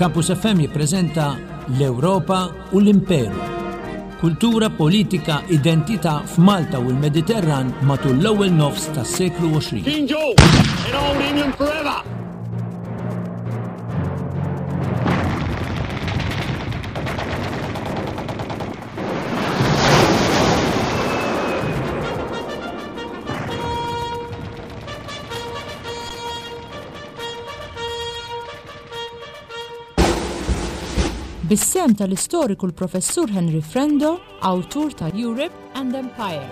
Campus FM jippreżenta L-Ewropa u l-Imperu. Kultura, politika, identità f'Malta u l-Mediterran matul l-ewwel nofs tas-seklu 20. King George in Old England forever! Bis-sehem tal-istoriku l-Professur Henry Frendo, awtur ta' Europe and Empire.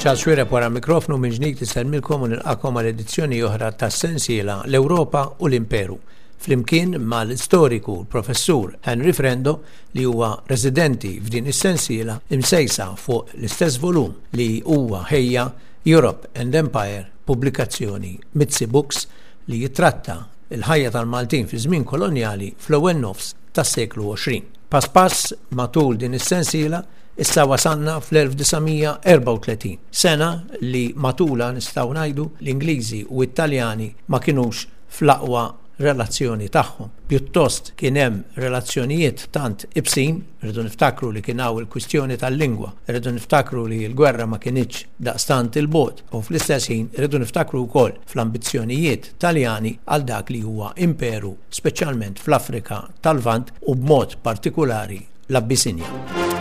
Charles Xuereb wara mikrofnu minn ġdid isellmilkom u nilqakom għal edizzjoni oħra tas-sensiela L-Ewropa u l-Imperu flimkien mal-istoriku l-Professur Henry Frendo li huwa residenti f'din is-sensiela imsejsa fuq l-istess volum li huwa ħejja Europe and Empire pubblikazzjoni Mizzi Books li jittratta l-ħajja tal-Maltin fi żmien kolonjali fl-ewwel nofs tas-seklu 20. Pass pass matul din is-sensiela issa wasalna fl-1934, sena li matulha nistgħu ngħidu l-Ingliżi u t-Taljani ma kinux fl-aqwa relazzjoni tagħhom. Pjuttost kien hemm relazzjonijiet tant ibsin, irridu niftakru li kien hawn il-kwistjoni tal-lingwa, irridu niftakru li l-gwerra ma kinitx daqstant 'il bogħod u fl-istess ħin irridu niftakru wkoll fl-ambizzjonijiet Taljani għal dak li huwa imperu speċjalment fl-Afrika tal-Lvant u b'mod partikulari l-Abbisinja.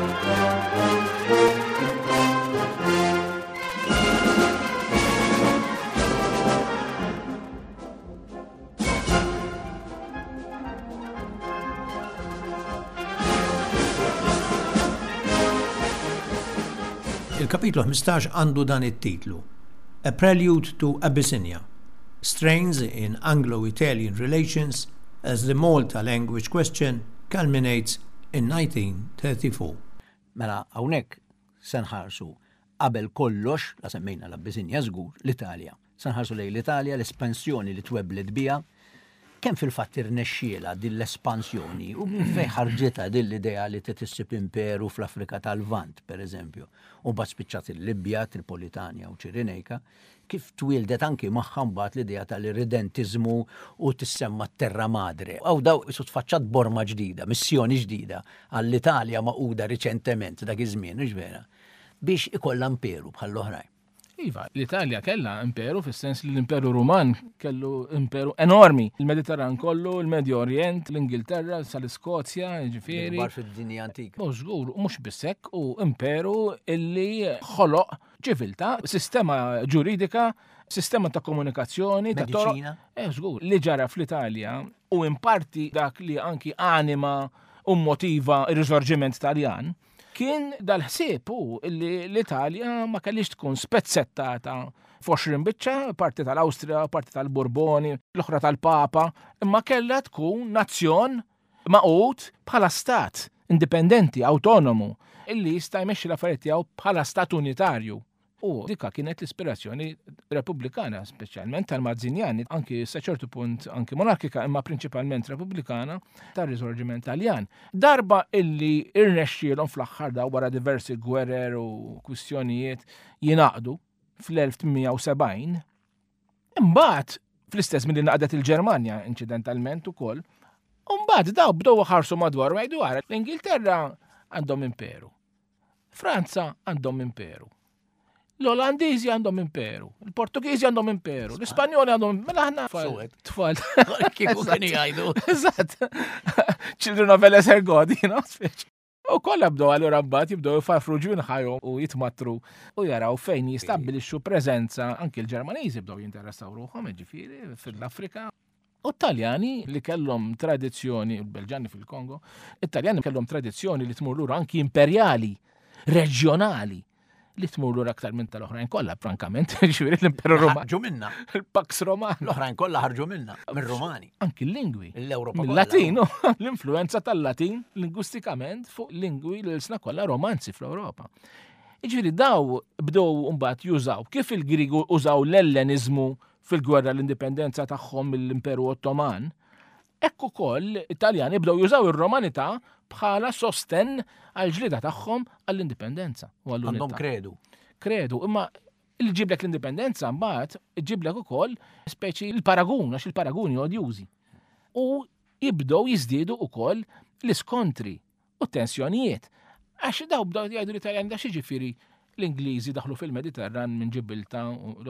Il-kapitlu 15 għandu dan it-titlu, A Prelude to Abyssinia, Strains in Anglo-Italian Relations as the Malta Language Question Culminates in 1934. Mela hawnhekk se nħarsu qabel kollox, la semmejna l-Abbisinja żgur, l-Italja. Se nħarsu lejn l-Italja, l-espansjoni li twebblet biha, kemm fil-fatt irnexxielha din l-espansjoni u minn fejn ħarġitha din l-idea li trid issib imperu fl-Afrika tal-Lvant, pereżempju, u mbagħad spiċċat il-Libja, Tripolitanja u Ċirinejka, kif twieldet anki magħha mbagħad l-idea tal-irridentiżmu u tissemma t-Terra Madre. Hawn daw isu tfaċċat borma ġdida, missjoni ġdida għall-Italja magħquda riċentement dak iż-żmien, hux vera, biex ikollha imperu bħall-oħrajn. Iva, l-Italja kellha imperu fis-sens li l-Imperu Ruman kellu imperu enormi. Il-Mediterran kollu, il-Medju Orient, l-Ingilterra, sal-Iskozja, ġifieri. Bar fid-dinja antika. U żgur, mhux biss hekk, u imperu illi ħoloq ċiviltà, sistema ġuridika, sistema ta' komunikazzjoni, ta' toroq. Eh, żgur, li ġara fl-Italja u in parti dak li anki anima u motiva ir-risorġiment Taljan Kien dal-ħsieb hu li l-Italja ma kellhiex tkun spezzettata f'għoxrin biċċa, parti tal-Awstrija, parti tal-Burboni, l-oħra tal-Papa, imma kellha tkun nazzjon magħqud bħala stat indipendenti, awtonomu, illi jista' jmexxi l-affarijiet tiegħu bħala stat unitarju. U dika kienet l-ispirazzjoni repubblikana, speċjalment tal-Mazzinjani, anki sa ċertu punt anki monarkika, imma prinċipalment repubblikana tar-Risorġiment Taljan. Darba illi irnexxielhom fl-aħħar daw wara diversi gwerer u kwistjonijiet jingħaqdu fl-1870, imbagħad fl-istess milli naqdet il-Ġermanja inċidentalment ukoll, u mbagħad daw bdew ħarsu madwar u jgħidu ara l-Ingilterra għandhom imperu. Franza għandhom imperu. L-Olandiżi għandhom imperu, il-Portugiżi għandhom imperu, l-Ispanjoli għandhom mela aħna tfal. Kieku kienu jgħidu. Eżatt. Children of a lesser God, you know, U kollha bdew allura mbagħad jibdew jfarfru ġwinħajhom u jitmatru u jaraw fejn jistabbilixxu preżenza anki l-Ġermaniżi bdew jinteressaw ruħhom jiġifieri fil-Afrika. U t-Taljani li kellhom tradizzjoni, il-Belġani fil-Kongo, it-Taljani kellhom tradizzjoni li tmur lura anki imperjali, reġjonali, li tmur lura aktar minn tal-oħrajn kollha, frankament, ġifieri l-Imperu Roman. Ħarġu minna. Il-Pax Romana. L-oħrajn kollha ħarġu minna, mir-Rumani. Anki l-lingwi. L-Ewropa. Mill-Latin, l-influenza tal-Latin lingwistikament fuq lingwi l-sna kollha romanzi fl-Ewropa. Jiġifieri daw bdew mbagħad jużaw kif il-Griegu użaw l-Elleniżmu fil-gwerra l-indipendenza tagħhom mill-Imperu Ottoman, hekk ukoll it-Taljani bdew jużaw ir-Romanità bħala sostenn għall-ġlieda tagħhom għall-indipendenza u għall-unità. Għandhom kredu. Kredu, imma li ġiblek l-indipendenza mbagħad ġiblek ukoll speċi l-paragun, għax il-paraguni odjużi. U jibdew jiżdiedu ukoll l-iskontri u t-tensjonijiet. Għax daw bdew jgħidu l-Italjan da xiġifieri l-Ingliżi daħlu fil-Mediterran minn Ġibilta,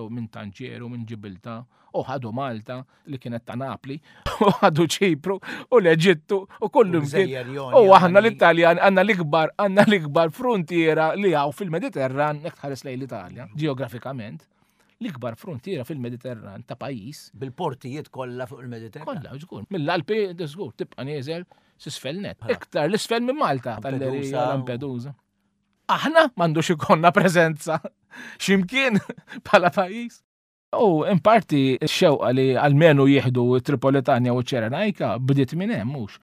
minn Tanġeru, minn Ġibilta, u ħadu Malta li kienet ta' Napli, u ħadu Ċipru, u l-Eġittu, u kollu mkien. U aħna l-Italjan għandna l-ikbar, għandna l-ikbar frontiera li hawn fil-Mediterran, jekk tħares lejn l-Italja, ġeografikament l-ikbar frontiera fil-Mediterran ta' pajjiż. Bil-portijiet kollha fuq il-Mediterran. Kollha, żgur. Mill-Alpi, żgur, tibqa' nieżel s'isfel net. Iktar l-isfel minn Malta, tal-Lampedusa. Lampedusa. Aħna m'għandux ikollna preżenza x'imkien bħala pajjiż. U in parti x-xewqa li almenu jieħdu Tripolitania u Ċerenajka bdiet minn hemm mhux.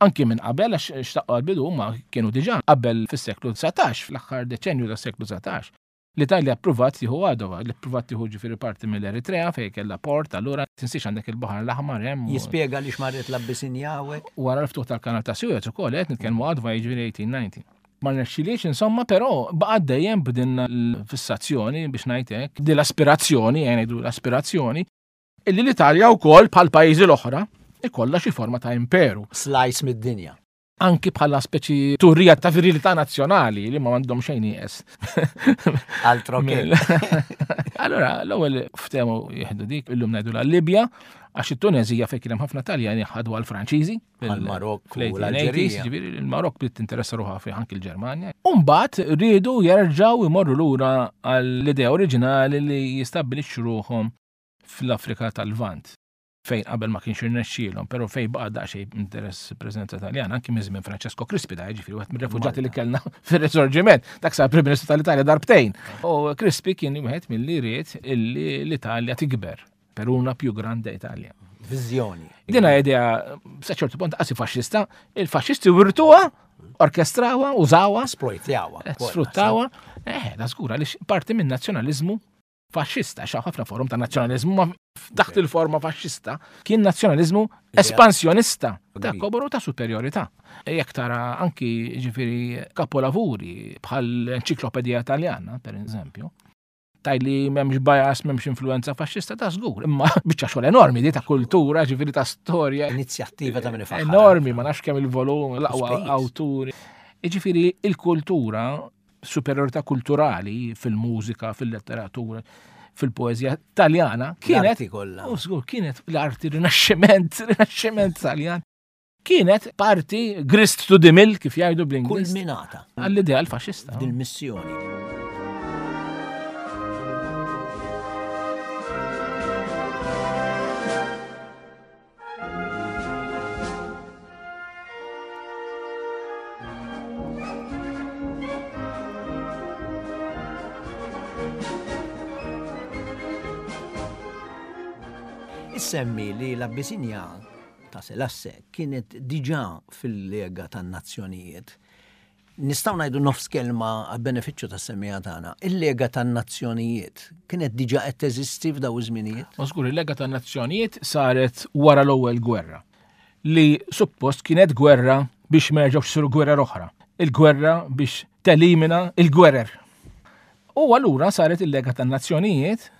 Anki minn qabel għax xtaqqa għal-bidu huma kienu diġà qabel fis-seklu 19, fl-aħħar deċenju tas-seklu 19. L-Italja ppruvat tieħu Għadova, li ppruvat tieħu ġifieri parti mill-Eritrea fejn kellha port, allura tinsiex għandek il-Baħar l-Aħmar hemm. Jispjega għaliex marret l-Abbisinja hawnhekk? Wara l-ftuħ tal-Kanal ta' Suez ukoll qed nitkellmu Għadva jiġifieri 1890. Ma rnexxilhiex insomma, però baqgħet dejjem b'din l-fissazzjoni biex ngħid hekk, din l-aspirazzjoni, ejja ngħidu l-aspirazzjoni, illi l-Italja wkoll bħall-pajjiżi l-oħra ikollha xi forma ta' imperu. Slice mid-dinja. anki bħala speċi turija ta' virilità nazzjonali li ma għandhom xejn nieqes. Altro che. Allora, l-ewwel ftehmu jieħdu dik illum ngħidu la Libja għax it-Tunezija fejn kien hemm ħafna Taljani ħadu għal Franċiżi. Għal-Marokk u l-Alġerija. Ġifieri il-Marokk bdiet tinteressa ruħha fih anki l-Ġermanja. U mbagħad riedu jerġgħu jmorru lura għall-idea oriġinali li jistabbilixxu ruħhom fl-Afrika tal-Lvant. fejn qabel ma kienx irnexxielhom, però fejn baqa' daqsxejn interess preżenza Taljana anki minn żmien Francesco Crispi da jiġifieri wieħed mir-refuġjati li kellna fir-Risorġiment, dak sar Prim Ministru tal-Italja darbtejn. U Crispi kien wieħed milli ried illi l-Italja tikber per una più grande Italia. Viżjoni. Dina idea sa ċertu punt qasi faxxista, il-faxxisti wirtuha, orkestrawa, użawha, Esploitjawha. sfruttawha, eh, da żgur għaliex parti minn nazzjonaliżmu faxxista, xaw ħafna forum ta' nazzjonaliżmu, ma taħt il-forma faxxista, kien nazzjonaliżmu espansjonista ta' koboru ta' superjorità. E jekk tara anki ġifieri kapolavuri bħal enċiklopedija Taljana, per eżempju, taj li memx bias, memx influenza faxxista ta' żgur, imma biċċa xogħol enormi di ta' kultura, ġifieri ta' storja. Inizjattiva ta' minn Enormi, ma nafx kemm il-volum, l-aqwa awturi. Ġifieri il-kultura superjorità kulturali fil-mużika, fil-letteratura, fil-poeżija taljana kienet kollha. U żgur kienet l-arti rinaxximent, rinaxximent taljan. Kienet parti grist to the mill kif jgħidu bl-Ingliż. Kulminata. Għall-ideal faxista. Dil-missjoni. Issemmi li l-Abbisinja ta' Selasse kienet diġà fil-Lega tan-Nazzjonijiet. Nistgħu ngħidu nofs kelma għall-benefiċċju tas-semmiegħa tagħna. Il-Lega tan-Nazzjonijiet kienet diġà qed teżisti f'daw iż-żminijiet? Ma żgur, il-Lega tan-Nazzjonijiet saret wara l-ewwel gwerra, li suppost kienet gwerra biex ma jerġgħux isiru gwerer oħra, il-gwerra biex telimina il-gwerer. U allura saret il-Lega tan-Nazzjonijiet,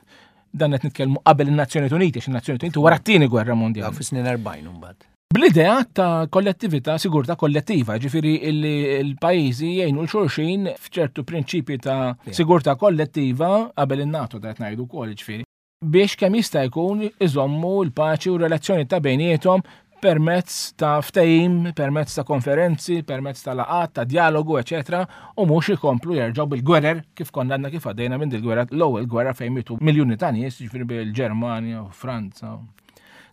dan qed nitkellmu qabel in-Nazzjonijiet Uniti, għax in-Nazzjonijiet Uniti wara t-tieni gwerra mondjali. Fis-snin 40 imbagħad. Bl-idea ta' kollettività, sigurtà kollettiva, ġifieri illi l-pajjiżi jgħinu l-xulxin f'ċertu prinċipji ta' sigurtà kollettiva qabel in-NATO ta' qed ngħidu wkoll ġifieri biex kemm jista' jkun iżommu l-paċi u relazzjoni ta' bejniethom permezz ta' ftehim, permezz ta' konferenzi, permezz ta' laqat, ta' dialogu, eċetera, u mhux ikomplu jerġgħu bil-gwerer kif konna għandna kif għaddejna minn dil-gwerra l-ewwel gwerra fejn mietu miljuni ta' nies, ġifieri bil-Ġermanja u Franza.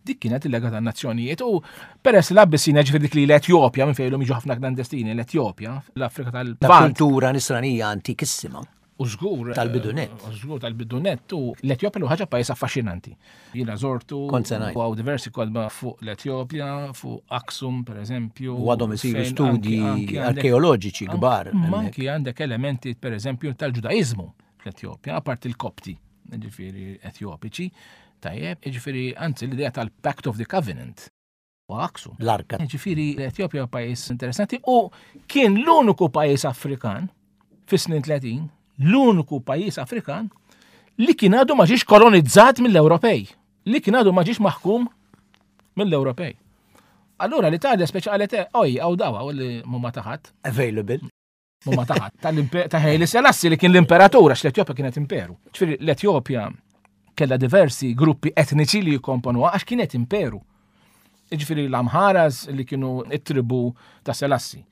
Dik kienet il-Lega tan-Nazzjonijiet u peress l-Abbissina ġifieri dik li l-Etjopja minn fejn jiġu ħafna klandestini l-Etjopja, l-Afrika tal-Lvant. Kultura nisranija antikissima. U żgur. Tal-bidunet. U żgur tal-bidunet u l-Etjopja l ħaġa pajjiż affaxxinanti. Jiena żortu. Kont se ngħid. U hawn diversi kotba fuq l-Etjopja, fuq Aksum per eżempju. U għadhom isiru studji arkeoloġiċi kbar. Anki għandek elementi per eżempju tal-Ġudaiżmu fl-Etjopja, apart il-Kopti, ġifieri Etjopiċi, tajjeb, ġifieri anzi l-idea tal-Pact of the Covenant u Aksum. L-arka. Ġifieri l-Etjopja pajjiż interessanti u kien l-uniku pajjiż Afrikan fis-snin 30, l-uniku pajjiż Afrikan li kien għadu ma ġiex kolonizzat mill-Ewropej, li kien għadu ma ġiex maħkum mill-Ewropej. Allura l-Italja speċi qalet oj, għaw dawa, u li mumma taħat. Available. Mumma taħat. Ta' Haile Selassie li kien l-imperatur, għax l-Etjopja kienet imperu. Ġifieri l-Etjopja kellha diversi gruppi etniċi li jikkomponuha għax kienet imperu. Ġifieri l-Amharas li kienu it-tribu ta' Selassie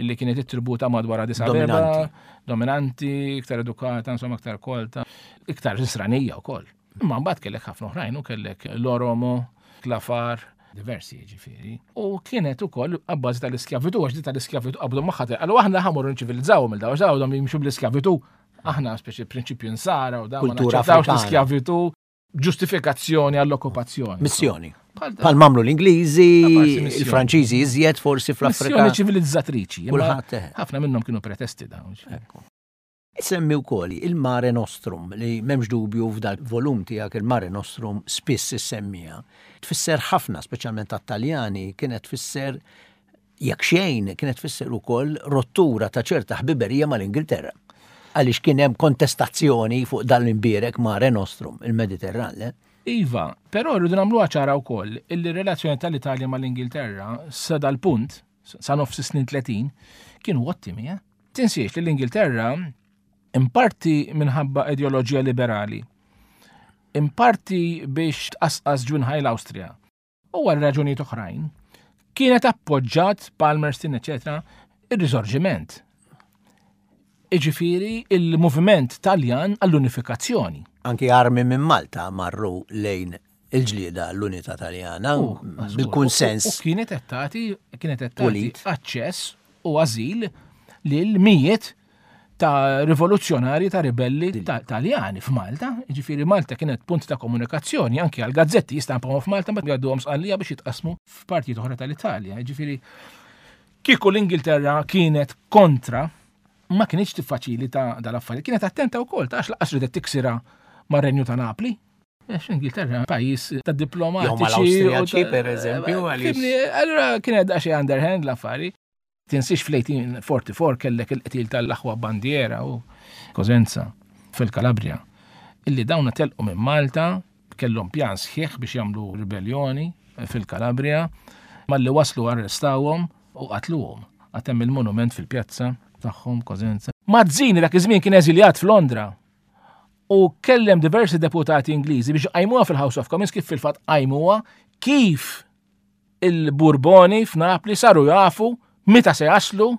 li kienet it-tribu ta' madwar Addis Abeba, dominanti, iktar edukata, insomma iktar kolta, iktar nisranija wkoll. Imma mbagħad kellek ħafna oħrajn u kellek l-Oromo, l-Afar, diversi ġifieri. U kienet ukoll abbażi tal-iskjavitu, għax di tal-iskjavitu qabdu magħha qalu aħna ħamorru nċivilizzaw mill daw, għax dawn jimxu bl-iskjavitu. Aħna speċi prinċipju nsara u dawn Kultura Afrikana. l-iskjavitu ġustifikazzjoni għall-okkupazzjoni. Missjoni. Bħal mamlu l-Ingliżi, il-Franċiżi iżjed forsi fl-Afrika. Missjoni ċivilizzatriċi. Kulħadd. Eh. Ħafna minnhom kienu pretesti dawn. Semmi wkoll il-Mare Nostrum li m'hemmx dubju f'dal volum tiegħek il-Mare Nostrum spiss issemmija. Tfisser ħafna, speċjalment għat-Taljani, kienet tfisser jekk xejn kienet tfisser ukoll rottura ta' ċerta ħbiberija mal-Ingilterra. Għaliex kien hemm kontestazzjoni fuq dan l-imbierek Mare Nostrum, il-Mediterran, le? Iva, però rridu nagħmluha ċara wkoll illi r-relazzjoni tal-Italja mal-Ingilterra sa dal-punt, sa nofs is-snin 30, kienu ottimi, eh? Tinsiex li l-Ingilterra, in parti minħabba ideoloġija liberali, in parti biex tqasqas ġwinħaj l-Awstrija, u għal raġunijiet oħrajn, kienet appoġġat Palmerston, eċetera, ir-riżorġiment. Iġifieri il-moviment Taljan għall-unifikazzjoni. Anki armi minn Malta marru lejn il-ġlieda l-unità Taljana bil-kunsens. U kienet qed tagħti kienet qed tagħti aċċess u ażil lil mijiet ta' rivoluzzjonari ta' ribelli Taljani f'Malta. Ġifieri Malta kienet punt ta' komunikazzjoni anki għal gazzetti jistampawhom f'Malta ma jgħadduhom sqallija biex jitqasmu f'partijiet oħra tal-Italja. Ġifieri kieku l-Ingilterra kienet kontra ma kienx tiffaċilita dal-affarijiet. Kienet attenta wkoll ta' għax laqas ridet tiksira mar-Renju ta' Napli. Għax Ingilterra pajjiż ta' diplomatiċi. Jew mal-Awstrijaċi per eżempju. Allura kienet daqsxejn underhand l-affari. Tinsiex fl-1844 kellek il-qtil tal-aħwa Bandiera u Cosenza fil-Kalabria, illi dawna telqu minn Malta, kellhom pjan sħiħ biex jagħmlu ribellioni fil-Kalabria, malli waslu arrestawhom u qatluhom. Għad hemm il-monument fil-pjazza tagħhom Cosenza. Mazzini dak iż-żmien kien eżiljat f'Londra u kellem diversi deputati Ingliżi biex qajmuha fil-House of Commons kif fil-fatt qajmuha kif il-Burboni f'Napli saru jafu meta se jaslu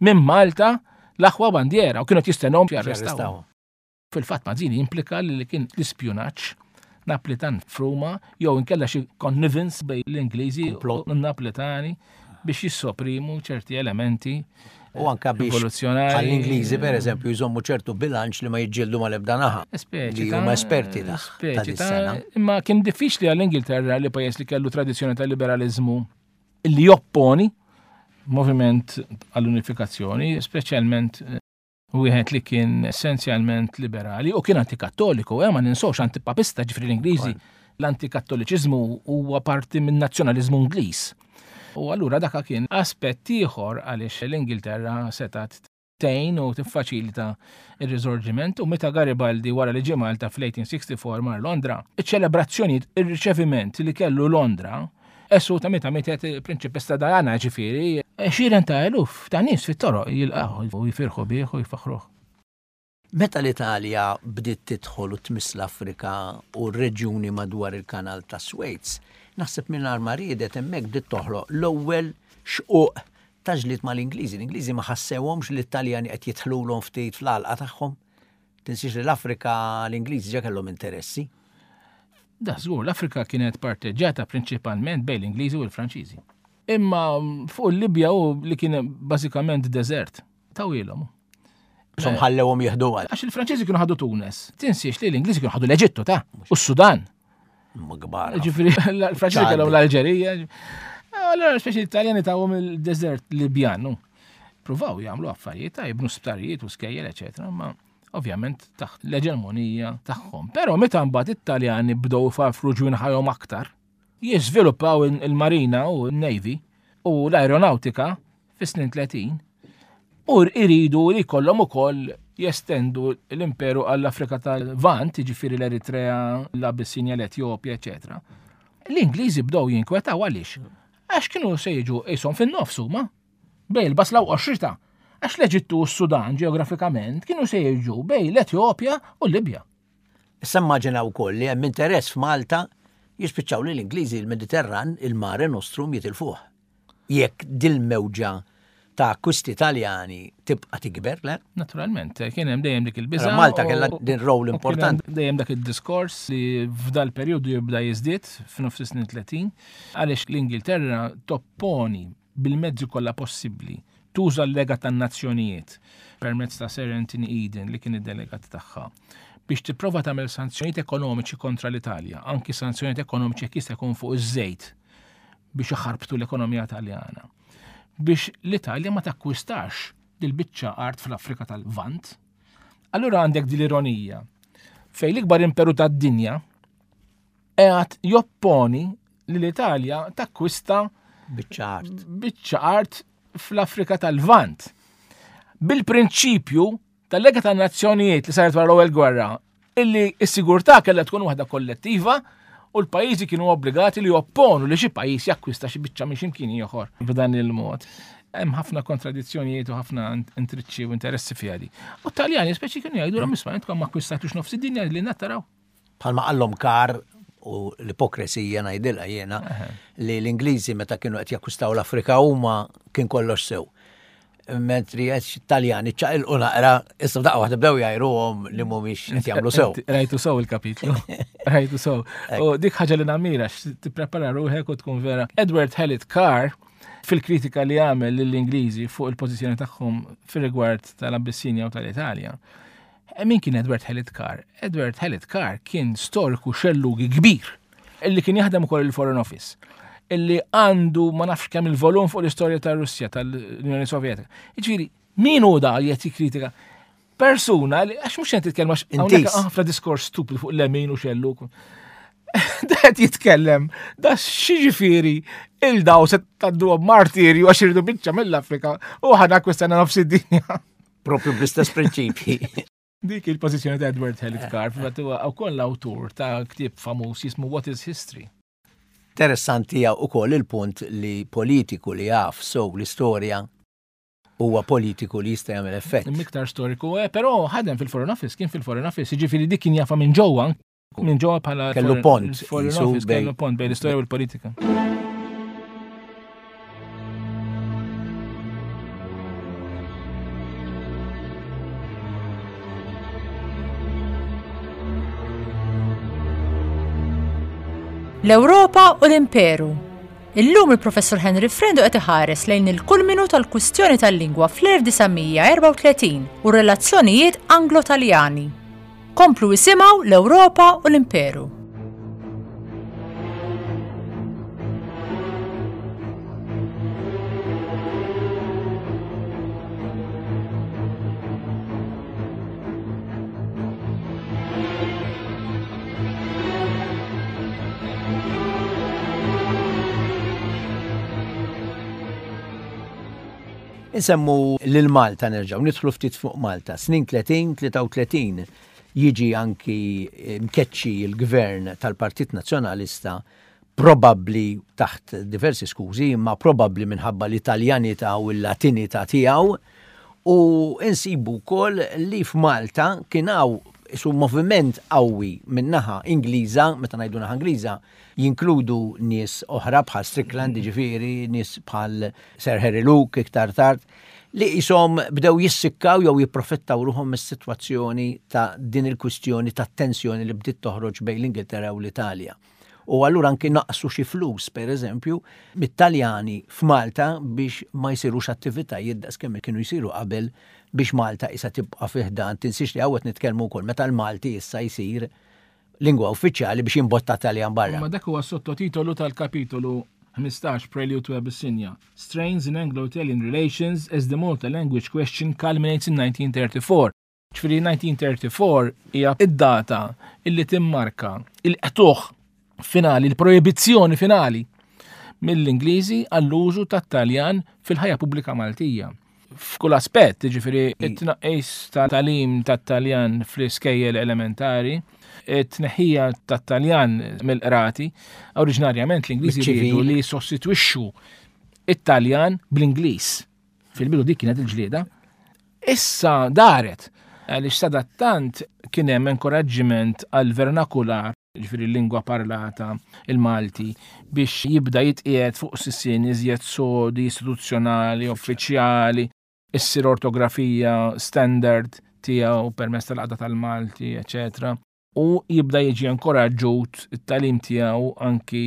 minn Malta l-aħwa bandiera u kienu jistennhom jarrestawhom. Fil-fatt Mazzini implika li kien l-ispjunaġġ Naplitan f'Ruma jew inkella xi connivance bejn l-Ingliżi u n-Naplitani biex jissoprimu ċerti elementi U anka biex l-Ingliżi per eżempju jżommu ċertu bilanċ li ma jiġġieldu mal-ebda naħa. Li huma esperti ta' sena. Imma kien diffiċli għall-Ingilterra li pajjiż li kellu tradizzjoni ta' liberalizmu li jopponi moviment għall-unifikazzjoni, speċjalment eh, wieħed li kien essenzjalment liberali u kien antikattoliku, eh, ma ninsawx antipapista ġifri l-Ingliżi. L-antikattoliċiżmu huwa parti minn nazzjonaliżmu Ingliż. U allura daka kien aspett ieħor għaliex l-Ingilterra setat tgħin u tiffaċilita ir-riżorġiment u meta Garibaldi wara li ġie Malta fl-1864 mar Londra, iċ-ċelebrazzjonijiet, ir-riċeviment li kellu Londra Esu ta' meta mietet il-Prinċipessa Diana ġifieri, għexieren ta' eluf ta' nies fit-toroq jilqgħu u jifirħu bih u jfaħħruh. Meta l-Italja bdiet tidħol u tmiss l-Afrika u r-reġjuni madwar il-Kanal ta' Swejz, naħseb mingħajr ma riedet hemmhekk bdiet toħloq l-ewwel xquq ta' ġlied mal-Ingliżi. L-Ingliżi ma ħassewhomx li t-Taljani qed jidħlulhom ftit fl-għalqa tagħhom. Tinsiex li l-Afrika l-Ingliżi ġa kellhom interessi. Da żgur, l-Afrika kienet parteġġjata prinċipalment bejn l-Ingliżi u l-Franċiżi. Imma fuq il-Libja u li kien bażikament deżert, tawilhom. Som ħallewhom jieħdu għal. Għax il-Franċiżi kienu ħadu Tunes. Tinsiex li l-Ingliżi kienu ħadu l-Eġittu ta' u s-Sudan. Ma kbar. Ġifieri l-Franċiżi kellhom l-Alġerija. Allora speċi l-Italjani tawhom il-deżert Libjan. Pruvaw jagħmlu affarijiet ta' jibnu sptarijiet u skejjel, eċetera, ma ovvjament taħt l-eġemonija tagħhom. Però meta mbagħad it-Taljani bdew ifarfru ġwinħajhom aktar, jiżviluppaw il-marina u n-navy u l-aeronautika fis-snin 30 u iridu li jkollhom ukoll jestendu l-imperu għall-Afrika tal-Lvant, jiġifieri l-Eritrea, l-Abissinja, l-Etjopja, eċetera. L-Ingliżi bdew jinkwetaw għaliex? Għax kienu se jiġu qishom fin-nofs huma, bejn il-basla u qoxrita. Għax l-Eġittu u s-Sudan ġeografikament kienu se jiġu bejn l-Etjopja u l-Libja. Issa immaġina wkoll li hemm interess f'Malta jispiċċaw li l-Ingliżi l-Mediterran, il-Mare Nostrum jitilfuh. Jekk dil-mewġa ta' akkwisti Taljani tibqa' tikber, le? Naturalment, kien hemm dejjem dik il-biża'. Malta kellha din rol importanti. Dejjem dak id-diskors li f'dal perjodu jibda jiżdied f'nofs is-snin 30 għaliex l-Ingilterra topponi bil-mezzi kollha possibbli tuża l-Lega tan-Nazzjonijiet permezz ta' Sir Anthony Eden li kien id-delegat tagħha biex tipprova tagħmel sanzjonijiet ekonomiċi kontra l-Italja, anki sanzjonijiet ekonomiċi jekk jista' jkun fuq iż-żejt biex iħarbtu l-ekonomija Taljana. Biex l-Italja ma takkwistax dil-biċċa art fl-Afrika tal-Lvant. Allura għandek din l-ironija fejn l-ikbar imperu tad-dinja qiegħed jopponi li l-Italja takkwista biċċa art. Biċċa art fl-Afrika tal-Lvant. Bil-prinċipju tal-Lega tan-Nazzjonijiet li saret wara l-ewwel gwerra, illi s-sigurtà kellha tkun waħda kollettiva u l-pajjiżi kienu obbligati li jopponu li xi pajjiż jakkwista xi biċċa minn x'imkien ieħor b'dan il-mod. Hemm ħafna kontradizzjonijiet u ħafna intriċċi u interessi fiha di. U t-Taljani speċi kienu jgħidu isma' intkom ma akkwistatux nofs id-dinja li nattaraw. Bħalma qallhom Carr u l-ipokresija ngħidilha jiena li l-Ingliżi meta kienu qed jakkwistaw l-Afrika huma kien kollox sew. Mentri qed Taljani ċaqilqu naqra, issa daqqa waħda bdew jgħajruhom li mhumiex qed jagħmlu sew. Rajtu sew il-kapitlu. Rajtu sew. U dik ħaġa li namira tipprepara ruħek u tkun vera. Edward Hallett Carr fil-kritika li għamel lill-Ingliżi fuq il-pożizzjoni tagħhom fir-rigward tal-Abissinja u tal-Italja. Eh, min kien Edward Hallett Carr? Edward Hallett Carr kien storiku xellugi kbir illi kien jaħdem ukoll il-Foreign Office illi għandu ma nafx kemm il-volum fuq l-istorja tar-Russja tal-Unjoni Sovjetika. Jiġifieri, min hu da li qed jikkritika? Persuna li għax mhux qed titkellem għax hawnhekk ħafna diskors stupid fuq lemin u xelluk. Da qed jitkellem, da x'jiġifieri il-daw se tgħaddu martirju għax iridu biċċa mill-Afrika u ħana kwestjana nofs id-dinja. Propju bl-istess prinċipji. Dik il-pożizzjoni ta' Edward Hallett Carr, fil-fatt huwa wkoll l-awtur ta' ktieb famuż jismu What is History. Interessanti hija wkoll il-punt li politiku li jaf sew l-istorja huwa politiku li jista' jagħmel effett. Iktar storiku, eh, però ħadem fil-Foreign Office, kien fil-Foreign Office, jiġifieri dik kien jafa minn ġewwa Minn ġewwa bħala kellu pont. Foreign Office kellu pont bejn l-istorja u l-politika. L-Ewropa u l-Imperu. Illum il-Professur Henry Frendo qed iħares lejn il-kulminu tal-kwistjoni tal-lingwa fl-1934 u r-relazzjonijiet Anglo-Taljani. Komplu isimgħu l-Ewropa u l-Imperu. Insemmu lil Malta nerġgħu nidħlu ftit fuq Malta. Snin 30, 33 jiġi anki eh, mkeċċi l-gvern tal-Partit Nazzjonalista probabbli taħt diversi skużi, imma probabbli minħabba l-Italjanità u l-Latinità tiegħu u insibu wkoll li f'Malta kien hawn isu moviment qawwi min-naħa Ingliża, meta ngħidu naħa Ingliża, jinkludu nies oħra bħal Strickland, jiġifieri nies bħal Sir Harry Luke iktar tard, li qishom bdew jissikkaw jew jipprofittaw ruħhom mis-sitwazzjoni ta' din il-kwistjoni ta' tensjoni li bdiet toħroġ bejn l-Ingilterra u l-Italja. U allura anki naqsu xi flus, per eżempju, mit-Taljani f'Malta biex ma jsirux attivitajiet daqs kemm kienu jsiru qabel biex Malta isa tibqa' fi ħdan. Tinsiex li hawn qed nitkellmu wkoll meta l-Malti issa jsir lingwa uffiċjali biex jimbotta Taljan barra. Ma dak huwa sottotitolu tal-kapitolu 15 Prelude to Abyssinia. Strains in Anglo-Italian Relations as the Malta Language Question Culminates in 1934. Ġifieri 1934 hija id-data illi timmarka il-qtuħ finali, il-proibizzjoni finali mill-Ingliżi għall-użu tat-Taljan fil-ħajja pubblika Maltija. F'kull aspett, ġifieri it-tnaqqis ta' talim tat-Taljan fl-iskejjel elementari, it-tneħħija tat-Taljan mill-qrati, oriġinarjament l-Ingliżi riedu li jissostitwixxu it-Taljan bl-Ingliż. Fil-bidu dik kienet il-ġlieda. Issa daret għaliex sadattant kien hemm inkoraġġiment għal vernakular ġifieri l-lingwa parlata, il-Malti, biex jibda jitqiegħed fuq sisien iżjed sodi, istituzzjonali, uffiċjali, issir ortografija standard tiegħu permezz tal-qagħda tal-Malti, eċetera. U jibda jiġi inkoraġġut it-tagħlim tiegħu anki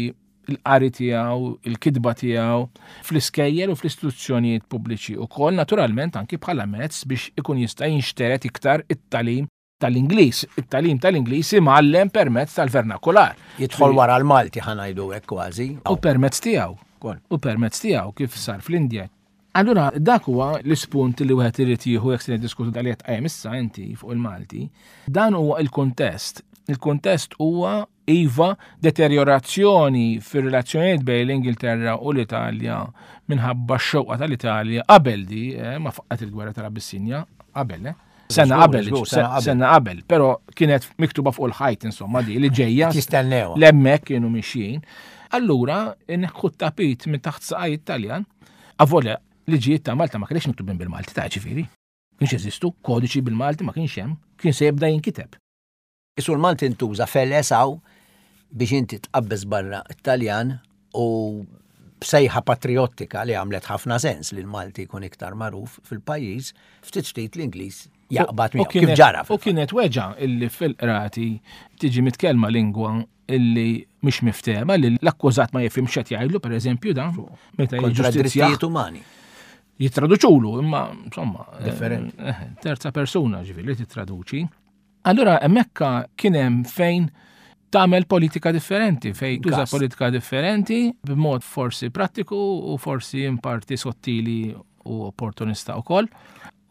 il-qari tiegħu, il-kitba tiegħu fl-iskejjel u fl-istituzzjonijiet pubbliċi ukoll naturalment anki bħala mezz biex ikun jista' jinxtered iktar it-tagħlim tal-Ingliż. It-tagħlim tal-Ingliż imgħallem permezz tal-vernakular. Jidħol wara l-Malti ħa ngħidu hekk kważi. U permezz tiegħu. U permezz tiegħu kif sar fl-Indja. Allura dak huwa l-ispunt li wieħed irid jieħu jekk se niddiskutu dal qed tqajjem issa inti fuq il-Malti. Dan huwa il-kuntest. Il-kuntest huwa iva deterjorazzjoni fir-relazzjonijiet bejn l-Ingilterra u l-Italja minħabba x-xewqa tal-Italja qabel di, eh, ma faqqat il-gwerra tal-Abissinja, qabel, eh. Sena qabel, sena qabel, pero kienet miktuba fuq il-ħajt insomma di li ġejja. Jistennew. L-emmek kienu mixjin. Allura, neħħu tapit minn taħt saqaj Italjan, avolja liġijiet ta' Malta ma kienx miktubin bil-Malti ta' ġifieri. Kienx jeżistu, kodiċi bil-Malti ma kienx hemm, kien se jibda jinkiteb. Isu l-Malti ntuża feles hawn biex inti tqabbeż barra t-Taljan u b'sejħa patriottika li għamlet ħafna sens li l-Malti jkun iktar magħruf fil-pajjiż, ftit ftit l-Ingliż jaqbad miegħu. Kif ġara. U kienet weġa illi fil-qrati tiġi mitkellma lingwa illi mhix miftehma li l-akkużat ma jifhimx qed jgħidlu pereżempju dan meta kontra drittijiet umani. Jittraduċulu imma insomma differenti. Eh, eh, terza persuna ġifieri li tittraduċi. Allura hemmhekk kien hemm fejn tagħmel politika differenti, fejn tuża politika differenti b'mod forsi prattiku u forsi in parti sottili u opportunista wkoll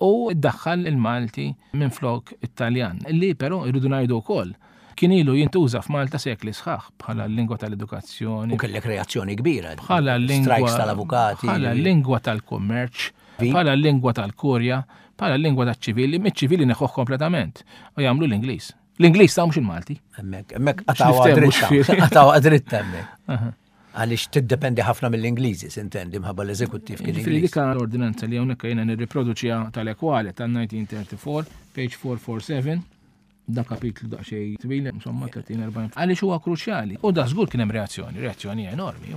u ddaħħal il-Malti minn flok it-Taljan, li però irridu ngħidu wkoll kien ilu jintuża f'Malta sekli sħaħ bħala l-lingwa tal-edukazzjoni. U kellek reazzjoni kbira. Bħala l-lingwa strikes tal-avukati. Bħala l-lingwa tal-kummerċ, bħala l-lingwa tal-kurja, bħala l-lingwa taċ-ċivili, miċ-ċivili neħħuh kompletament u jagħmlu l-Ingliż. L-Ingliż ta' mhux il-Malti. Hemmhekk, hemmhekk qatgħu dritta. Qatgħu dritta hemmhekk. Għaliex tiddependi ħafna mill-Ingliżi, sintendi, mħabba l-eżekuttiv kien. Ġifieri dik l-ordinanza li hawnhekk jiena nirriproduċiha tal-ekwale tan-1934, page 447, da kapitlu daqsxejn twil, insomma 30-40. Għaliex huwa kruċjali. U da żgur kien hemm reazzjoni, reazzjoni enormi.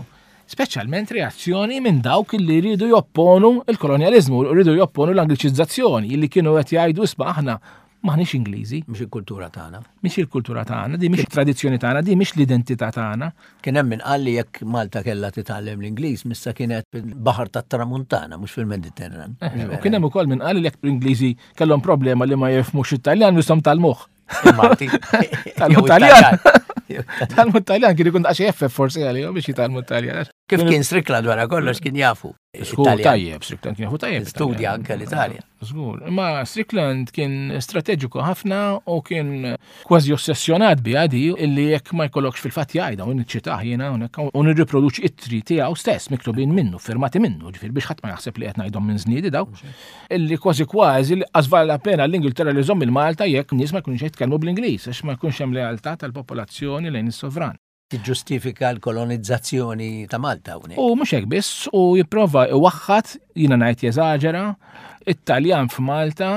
Speċjalment reazzjoni minn dawk li jridu jopponu il-kolonjaliżmu, jridu jopponu l-angliċizzazzjoni, li kienu qed jgħidu isma' aħna maħniex Ingliżi. Mhix il-kultura tagħna. Mhix il-kultura tagħna, di mhix tradizzjoni tagħna, di mhix l-identità tagħna. Kien hemm min qal li jekk Malta kellha titgħallem l-Ingliż missa kienet fil-Baħar tat-Tramuntana mhux fil-Mediterran. Eh, u kien hemm ukoll min qal li jekk l-Ingliżi kellhom problema li ma jifhmux it-Taljan nistgħu tgħallmuh. Malti. Talmu Taljan. Talmu Taljan kien ikun daqsxejn effef forsi għalihom biex jitgħallmu Taljan. Kif kien Strickland wara kollox kien jafu. Żgur tajjeb, Strickland kien jafu tajjeb. Studja anke l-Italja. Żgur. Imma Strickland kien strateġiku ħafna u kien kważi ossessjonat biha di illi jekk ma jkollokx fil-fatt jgħidha u niċċitah jiena hawnhekk u nirriproduċi ittri tiegħu stess miktubin minnu, firmati minnu, ġifieri biex ħadd ma jaħseb li qed ngħidhom minn żniedi daw. Illi kważi kważi li qas vala pena l-Ingilterra li żomm il-Malta jekk nies ma jkunux jitkellmu bl-Ingliż għax ma jkunx hemm lealtà tal-popolazzjoni lejn is-sovran. Tiġġustifika l-kolonizzazzjoni ta' Malta hawnhekk. U mhux hekk biss, u jipprova iwaħħad, jiena ngħid jeżaġera, it-Taljan f'Malta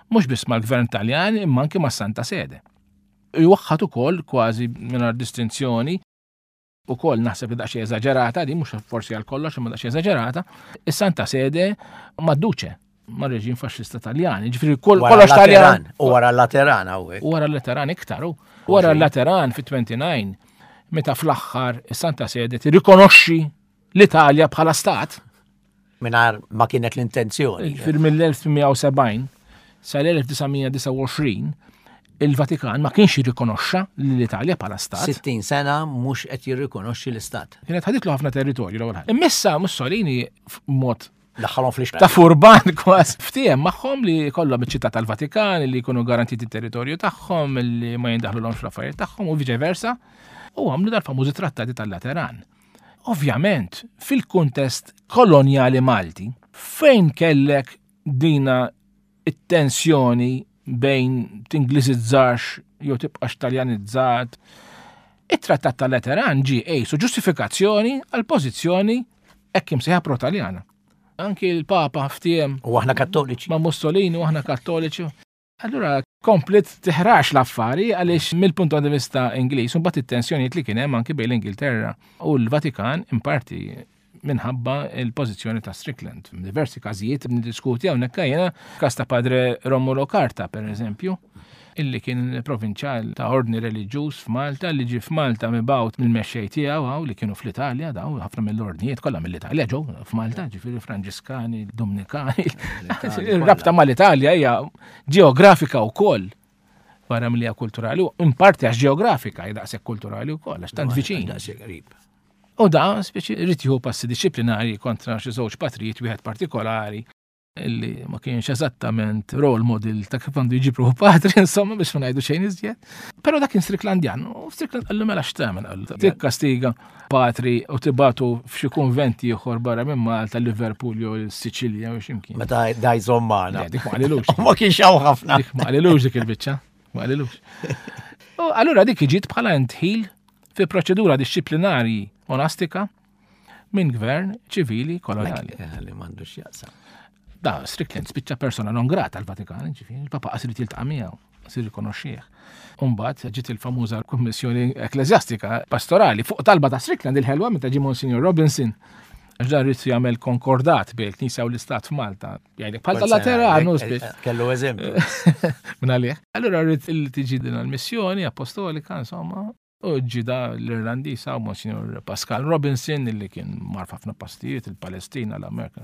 mhux biss mal-Gvern Taljan imma anke mas-Santa Sede. Iwaħħad ukoll kważi mingħajr distinzjoni ukoll naħseb li daqsxejn eżaġerata di mhux forsi għal kollox imma daqsxejn eżaġerata, is-Santa Sede mad-Duċe ma' reġim faxxista Taljan. Ġifieri kollox Taljan. U wara l-Lateran hawnhekk. U wara l-Lateran iktar. Wara l-Lateran fit-29. meta fl-aħħar is-Santa Sede tirrikonoxxi l-Italja bħala stat. Mingħajr ma kienet l-intenzjoni. Ġifieri mill-1870 sal-1929 il-Vatikan ma kienx jirrikonoxxa l-Italja bħala stat. 60 sena mhux qed jirrikonoxxi l-istat. Kienet ħaditlu ħafna territorju l-ewwel ħaġa. Immissa Mussolini mod Daħħalhom fl Ta' furban kważi. Ftiehem magħhom li kollhom iċ-ċittà tal-Vatikan, li jkunu garantiti territorju tagħhom, li ma jindaħlulhomx fl-affarijiet tagħhom u viċe versa. U għamlu dal-famużi trattati tal-Lateran. Ovvjament, fil-kuntest kolonjali Malti, fejn kellek dina it-tensjoni bejn tingliżizzax jew tibqax taljanizzat, it-trattat tal-Lateran ġie qisu ġustifikazzjoni għal pożizzjoni hekk imsejħa pro-Taljana. Anki l-Papa ftiem. U aħna kattoliċi. Ma' Mussolini u aħna kattoliċi. Allura komplet tiħrax l-affari għaliex mill-punt di vista Ingliż u mbagħad it-tensjonijiet li kien hemm anki bejn l-Ingilterra u l-Vatikan in parti minħabba il-pożizzjoni ta' Strickland. F'diversi każijiet niddiskuti hawnhekk jiena każ ta' Padre Romulo Carta pereżempju, illi kien provinċjal ta' ordni reliġjuż f'Malta li ġie f'Malta mibgħut mill-mexxej tiegħu hawn li kienu fl-Italja daw ħafna mill-ordnijiet kollha mill-Italja ġew f'Malta, ġifieri Franġiskani, Dominikani. Ir-rabta mal-Italja hija ġeografika wkoll barra milli hija kulturali, u in parti għax ġeografika hija daqshekk kulturali wkoll għax tant viċin. Daqshekk qrib. U da speċi rrid jieħu passi dixxiplinari kontra xi żewġ patrijiet wieħed partikolari illi ma kienx eżattament role model ta' kif għandu jġib ruħu patri, insomma, biex ma ngħidu xejn iżjed. Però dak kien Stricklandjan, u Strickland qallu mela x'tagħmel qallu. Tikkastiga patri u tibatu f'xi kunvent ieħor barra minn Malta, Liverpool jew Siċilja jew x'imkien. Meta daj żommana. Dik ma qalilux. Ma kienx hawn ħafna. Dik ma qalilux dik il-biċċa. Ma qalilux. U allura dik ġiet bħala intħil fi proċedura dixxiplinari monastika minn gvern ċivili koloniali. Eh, li m'għandux jaqsam. Da, Strickland spiċċa persona non grata l-Vatikan, ġifieri, il-Papa qasir jiltaqa' miegħu, qasir rikonoxxih. Umbagħad ġiet il-famuża Kummissjoni Ekklesjastika Pastorali fuq talba ta' Strickland il-ħelwa meta ġie Monsignor Robinson għax dan rrid jagħmel konkordat bejn il-Knisja u l-Istat f'Malta. Jgħidlek bħal tal-Lateranu eh, eh, Kellu eżempju. Minn għalih. Allura rrid il tiġi din il-missjoni apostolika, insomma, U ġie da l-Irlandiż hawn Monsignor Pascal Robinson illi kien mar f'ħafna postijiet, il-Palestina, l-Amerika.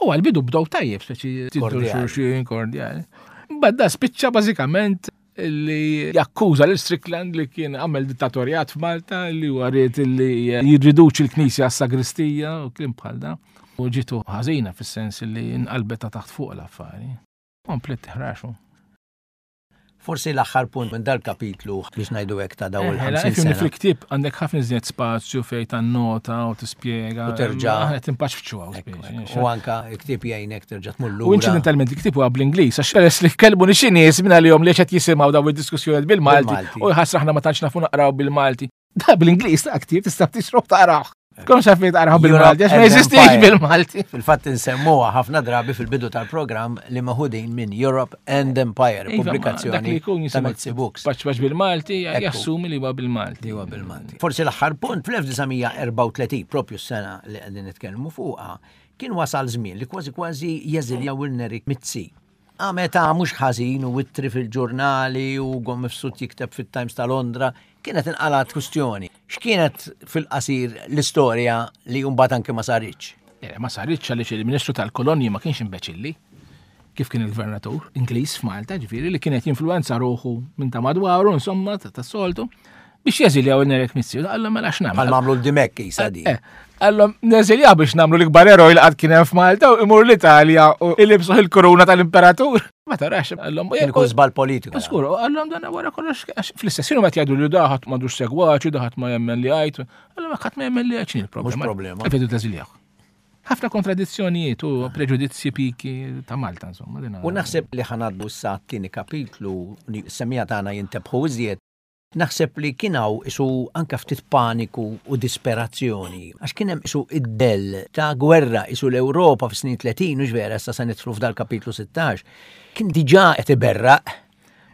U għal-bidu bdew tajjeb, speċi xulxin kordjali. Mbagħad da spiċċa bażikament li jakkuża lil Strickland li kien għamel dittatorjat f'Malta li huwa ried li jirriduċi l-Knisja għas-sagristija u kliem bħal da. U ġitu ħażina fis-sens li nqalbet ta' taħt fuq l-affari. Komplet tiħraxu. Forsi l-aħħar punt minn dal-kapitlu biex ngħidu hekk ta' dawn il-50 sena. Fil-ktieb għandek ħafna iżjed spazju fejn tannota u tispjega. U terġa'. Aħna timpaċ f'ċuha. U anka il-ktieb jgħinek terġa' tmur lura. U inċidentalment il-ktieb huwa bl-Ingliż għax peress li kellmuni xi nies minn għalihom li qed jisimgħu dawn id-diskussjonijiet bil-Malti u jħassra aħna ma tantx nafu naqraw bil-Malti. Da bl-Ingliż ta' ktieb tista' tixrob taqrah. Tkun xaf li taqraħ bil-Malti, għax ma jeżistix bil-Malti. Fil-fatt insemmuha ħafna drabi fil-bidu tal-programm li meħudin minn Europe and Empire, iva, pubblikazzjoni ta' Mizzi Books. Paċ paċ bil-Malti, jassumi li huwa bil-Malti. Li huwa bil-Malti. Forsi l-aħħar punt fl-1934, propju s-sena li qegħdin nitkellmu fuqha, kien wasal żmien li kważi kważi jeżiljaw il-Nerik Mizzi. Għameta mhux ħażin u ittri fil-ġurnali u Ugo Mifsud jikteb fit-Times ta' Londra, kienet inqalgħet kwistjoni. X'kienet fil-qasir l-istorja li mbagħad anke ma saritx? Eh, ma saritx għaliex il-Ministru tal-Kolonji ma kienx imbeċilli kif kien il-gvernatur Ingliż f'Malta, ġifieri li kienet jinfluenza ruħu minn ta' madwaru, insomma, tas-soltu. Biex jeżiljaw il-Nerek Mizzi, għallhom mela x'nagħmel. Bħal mamlu l-Dimek jisa di. Eh, għallhom neżiljaw biex nagħmlu l-ikbar eroj li qatt kien hemm f'Malta u imur l-Italja u ilibsu il-kuruna tal-imperatur. Ma tarax, għallhom. Kien ikun żball politiku. Skur, għallhom dan wara kollox fl-istess jien meta jgħidu li daħat m'għandux segwaċi, daħat ma jemmen li għajt. Għallhom ħadd ma jemmen li għajt x'inhi l-problema. Mhux problema. Għalfejn teżiljaw. Ħafna kontradizzjonijiet u preġudizzji piki ta' Malta, insomma. U naħseb li ħanaddu issa t-tieni kapitlu li s-semija tagħna jintebħu iżjed. Naħseb li kien hawn qisu anke ftit paniku u disperazzjoni, għax kien hemm qisu id-dell ta' gwerra, qisu l-Ewropa fis-snin 30, hux vera, issa se nidħlu f'dal-kapitlu 16, kien diġà qed iberraq.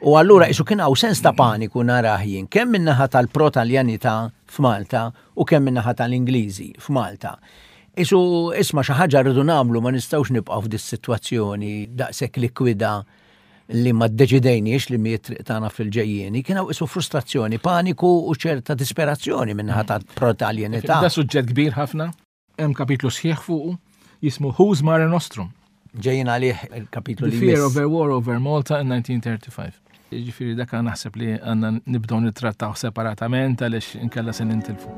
U allura qisu kien hawn sens ta' paniku narah jien, kemm min-naħa tal-pro-Taljanità f'Malta u kemm min-naħa tal-Ingliżi f'Malta. Qisu isma' xi ħaġa rridu nagħmlu ma nistgħux nibqgħu f'dis-sitwazzjoni daqshekk likwida. li ma ddeċidejniex li mi triq tagħna fil-ġejjieni, kien hawn isu frustrazzjoni, paniku u ċerta disperazzjoni minnaħa ta' pro-Taljanità. Da suġġett kbir ħafna, hemm kapitlu sħiħ fuqu jismu Who's Mare Nostrum. Ġejjin għalih il-kapitlu li. The Fear of a War Over Malta in 1935. Ġifieri dak naħseb li għandna nibdew nittrattaw separatament għaliex inkella se nintilfu.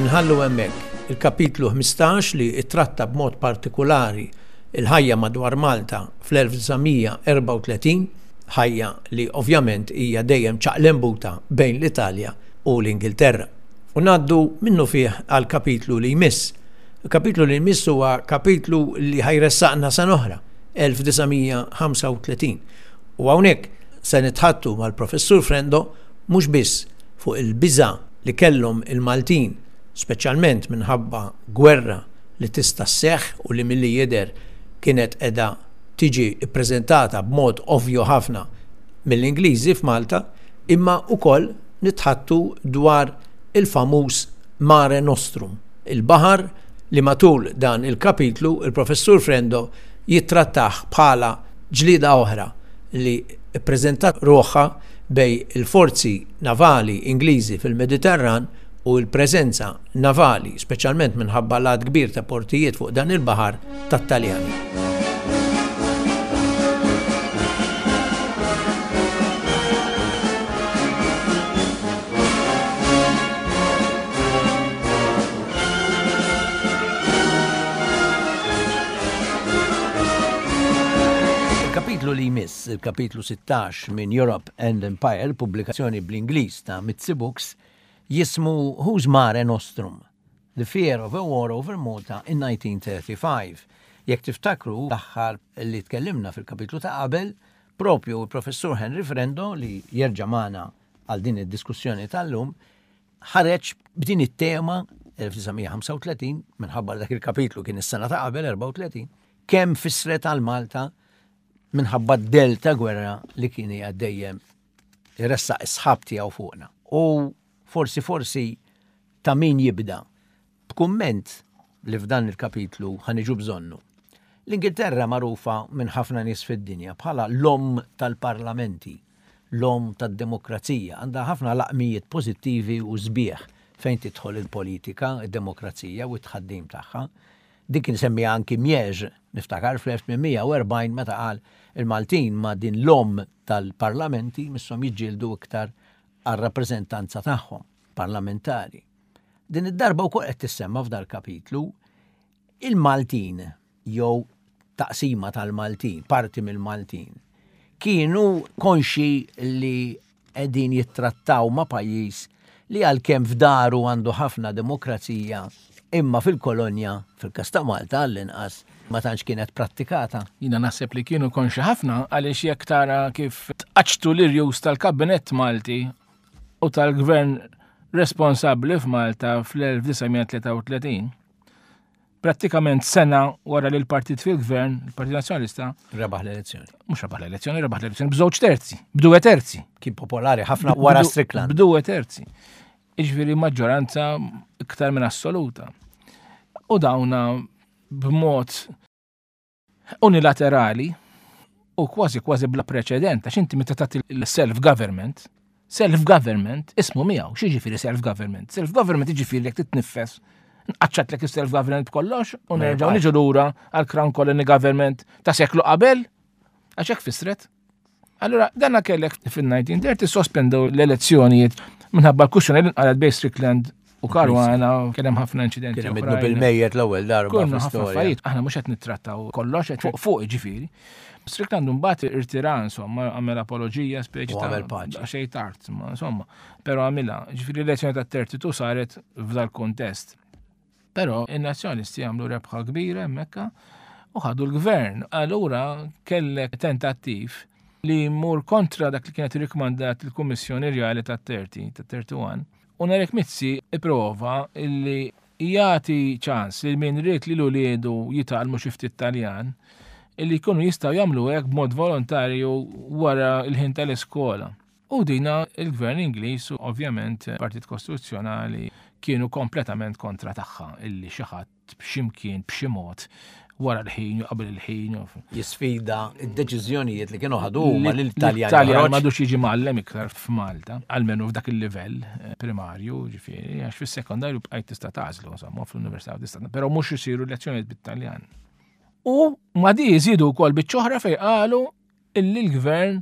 Inħallu hemmhekk il-kapitlu 15 li ttratta b'mod partikulari l-ħajja madwar Malta fl-1934, ħajja li ovvjament hija dejjem ċaqlembuta bejn l-Italja u l-Ingilterra. U ngħaddu minnufih għall-kapitlu li jmiss. Il-kapitlu li jmiss huwa kapitlu li ħa jressaqna sena oħra, 1935. U hawnhekk se nitħaddtu mal-Professur Frendo mhux biss fuq il-biża' li kellhom il-Maltin, speċjalment minħabba gwerra li tista' sseħħ u li milli jidher kienet qiegħda tiġi ppreżentata b'mod ovvju ħafna mill-Ingliżi f'Malta, imma wkoll nitħaddtu dwar il-famuż Mare Nostrum, il-baħar li matul dan il-kapitlu il-Professur Frendo jittrattah bħala ġlieda oħra li ppreżentat ruħha bejn il-forzi navali Ingliżi fil-Mediterran u l-preżenza navali, speċjalment minħabba l-għadd kbir ta' portijiet fuq dan il-baħar, tat-Taljani. Il-kapitlu li jmiss, il-kapitlu 16 minn Europe and Empire, pubblikazzjoni bl-Ingliż ta' Mizzi Books, jismu Whose Mare Nostrum? The Fear of a War Over Malta in 1935. Jekk tiftakru l-aħħar li tkellimna fil-kapitlu ta' qabel, propju l-Professur Henry Frendo li jerġa' magħna għal din id-diskussjoni tal-lum, ħareġ b'din it-tema 1935 minħabba dak il-kapitlu kien is-sena ta' qabel 34, kemm fissret għal Malta minħabba d-del ta' gwerra li kien hija dejjem iressaq is-sħab tiegħu fuqna. U forsi forsi ta' min jibda b'kumment li f'dan il-kapitlu ħa niġu bżonnu. L-Ingilterra magħrufa minn ħafna nies fid-dinja bħala l-omm tal-parlamenti, l-omm tad-demokrazija, għandha ħafna laqmijiet pożittivi u sbieħ fejn tidħol il-politika, id-demokrazija u t-tħaddim tagħha. Din kien semmiha anki Miège, niftakar fl-1840 meta qal il-Maltin ma' din l-omm tal-parlamenti misshom jiġġieldu iktar għar-rappreżentanza tagħhom parlamentari. Din id-darba wkoll qed tissemma f'dal-kapitlu il-Maltin jew taqsima tal-Maltin, parti mill-Maltin, kienu konxi li qegħdin jittrattaw ma' pajjiż li għalkemm f'daru għandu ħafna demokrazija imma fil-kolonja, fil-każ ta' Malta għall-inqas, ma tantx kienet prattikata. Jiena naħseb li kienu konxi ħafna għaliex jekk tara kif tqaċċtu l-irjus tal-Kabinett Malti u tal-Gvern responsabbli f'Malta fl-1933, prattikament sena wara li l-partit fil-gvern, il-Partit Nazzjonalista, rebaħ l-elezzjoni. Mhux rebaħ l-elezzjoni, rebaħ l-elezzjoni b'żewġ terzi, b'due terzi. Kien popolari ħafna wara Strickland. B'due terzi. Iġifieri maġġoranza iktar minn assoluta. U dawna b'mod unilaterali u kważi kważi bla preċedent, għax inti meta tagħti l-self-government, self-government ismu miegħu, x'jiġifieri self-government? Self-government jiġifieri jekk titniffes, nqaċċatlek is-self-government b'kollox u nerġgħu niġu lura għal Crown Colony Government ta' seklu qabel, għax hekk fissret. Allura, danna kellek fil-1930 sospendew l-elezzjonijiet minħabba l-kuxjoni li nqalet bejn Strickland U Caruana kien hemm ħafna inċidenti. Kien hemm id bil-mejjet l-ewwel darba. Konna ħafna affarijiet, aħna mhux qed nittrattaw kollox qed fuq fuq ġifieri. Strickland mbagħad irtira insomma, għamel apoloġija speċi ta' għamel paċi. Xejn tard, insomma, però għamilha. Ġifieri l-elezzjoni tat-32 saret f'dal kuntest. Però in-Nazzjonisti għamlu rebħa kbira hemmhekk u ħadu l-gvern. Allura kellek tentattiv li jmur kontra dak li kienet irrikmandat il-Kummissjoni Rjali tat-30, tat-31, u Nerik Mizzi ipprova li jagħti ċans lil min ried li l-uliedu jitgħallmu xi ftit Taljan illi jkunu jistgħu jagħmlu hekk b'mod volontarju wara l-ħin tal-iskola. U dina il-gvern Ingliż u ovvjament Partit Kostituzzjonali kienu kompletament kontra tagħha illi xi ħadd b'ximkien b'xi mod wara l-ħin u qabel il-ħin. Jisfida id-deċiżjonijiet li kienu ħadu huma l-Italjan. Italjan m'għadux jiġi mgħallem iktar f'Malta, almenu f'dak il-livell eh, primarju, ġifieri, għax fis-sekondarju bqajt tista' tagħżlu, insomma, fl-università tista' però mhux isiru lezzjonijiet bit-Taljan. U ma di jżidu wkoll biċ-ċoħra fejn qalu illi l-gvern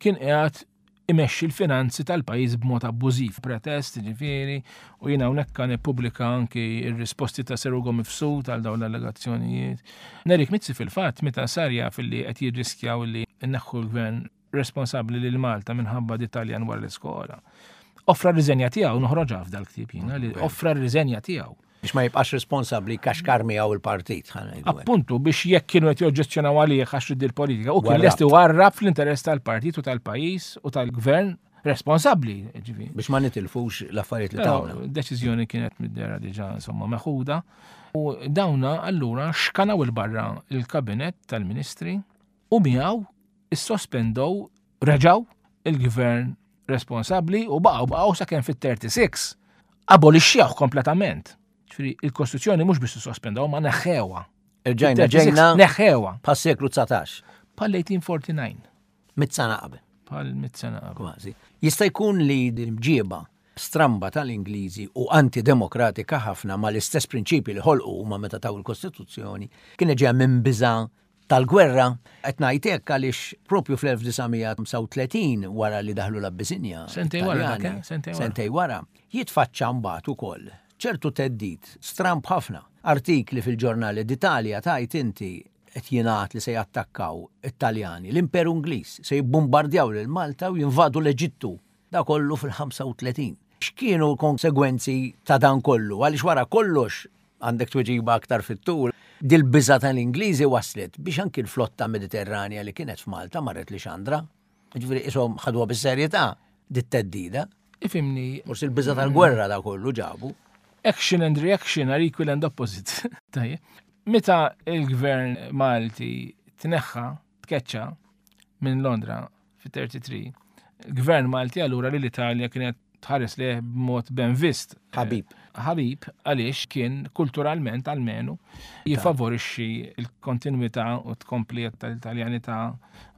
kien qiegħed imexxi l-finanzi tal-pajjiż b'mod abbużiv, pretest, ġifieri, u jiena hawnhekk kan ippubblika anki r-risposti ta' Sir Ugo Mifsud għal dawn l-allegazzjonijiet. Nerik Mizzi fil-fatt meta sar jaf li qed jirriskjaw li nneħħu l-gvern responsabbli lil Malta minħabba d-Italjan wara l-iskola. Offra r-riżenja tiegħu noħroġha f'dal-ktieb jiena li offra r-riżenja tiegħu. Biex ma jibqax responsabbli kaxkar miegħu il-partit. Appuntu biex jekk kienu qed joġġezzjonaw għalih għax ried il-politika u kien lest iwarrab fl-interess tal-partit u tal-pajjiż u tal-gvern responsabbli. Biex ma nitilfux l-affarijiet li tawna. Deċiżjoni kienet mid-dera diġà insomma meħuda u dawna allura xkanaw il-barra il-kabinet tal-ministri u miegħu issospendow reġgħu il-gvern responsabbli u baqgħu baqgħu sakemm fit-36 abolixxewh kompletament. Ġifieri il-Kostituzzjoni mhux biex sospendaw ma neħħewha. Irġajna ġejna neħħewha. Pas seklu 19. Pal 1849. Mit sena qabel. Pal mit sena qabel. Kważi. Jista' jkun li din mġieba stramba tal-Ingliżi u antidemokratika ħafna mal-istess prinċipji li ħolqu huma meta taw il-Kostituzzjoni kienet ġejja minn biża' tal-gwerra. Qed ngħid hekk għaliex propju fl-1935 wara li daħlu l-Abbisinja. Sentej wara, eh? sentej wara. Sentej wara. Jitfaċċa mbagħad ukoll ċertu theddid stramb ħafna. Artikli fil-ġurnali d'Italja tajt inti qed jingħad li se jattakkaw it-Taljani, l-Imperu Ingliż, se jibbombardjaw lil Malta u jinvadu l-Eġittu. Da kollu fil-35. X'kienu l-konsegwenzi ta' dan kollu? Għaliex wara kollox għandek tweġiba aktar fit-tul. Dil-biża' tal-Ingliżi waslet biex anki l-flotta Mediterranja li kienet f'Malta marret Lixandra. Ġifieri qishom ħaduha bis-serjetà dit-theddida. Ifhimni. Forsi l-biża' tal-gwerra da kollu ġabu. Action and reaction are equal and opposite. Tajjeb. Meta il-gvern Malti tneħħa, tkeċċa minn Londra fit-33, il-gvern Malti allura li l-Italja kienet tħares lejh b'mod ben vist. Ħabib. Ħabib għaliex kien kulturalment almenu jifavorixxi l-kontinwità u tkomplija tal-Italjanità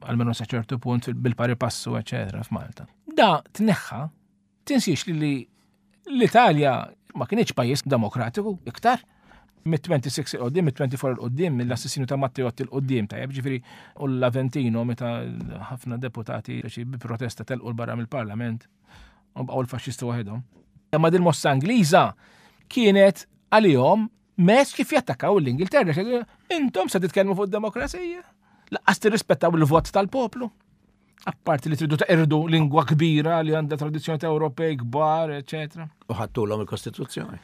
almenu sa ċertu punt bil-pari passu eċetera f'Malta. Da tneħħa tinsiex li l-Italja ma kienx pajjiż demokratiku iktar mit-26 il-qoddim, mit-24 il-qoddim, mill-assassinju ta' Matteotti il-qoddim, tajjeb ġifieri u l-Aventino meta ħafna deputati bi protesta telqu l-barra mill-parlament u bqgħu l-faxxisti waħedhom. Imma din mossa Ingliża kienet għalihom mezz kif jattakkaw l-Ingilterra. Intom se titkellmu fuq id-demokrazija? Laqqas tirrispettaw il-vot tal-poplu. Apparti li tridu taqirdu lingwa kbira li għandha tradizzjoni ta' Ewropej kbar, eċetera. U ħattulhom il-Kostituzzjoni.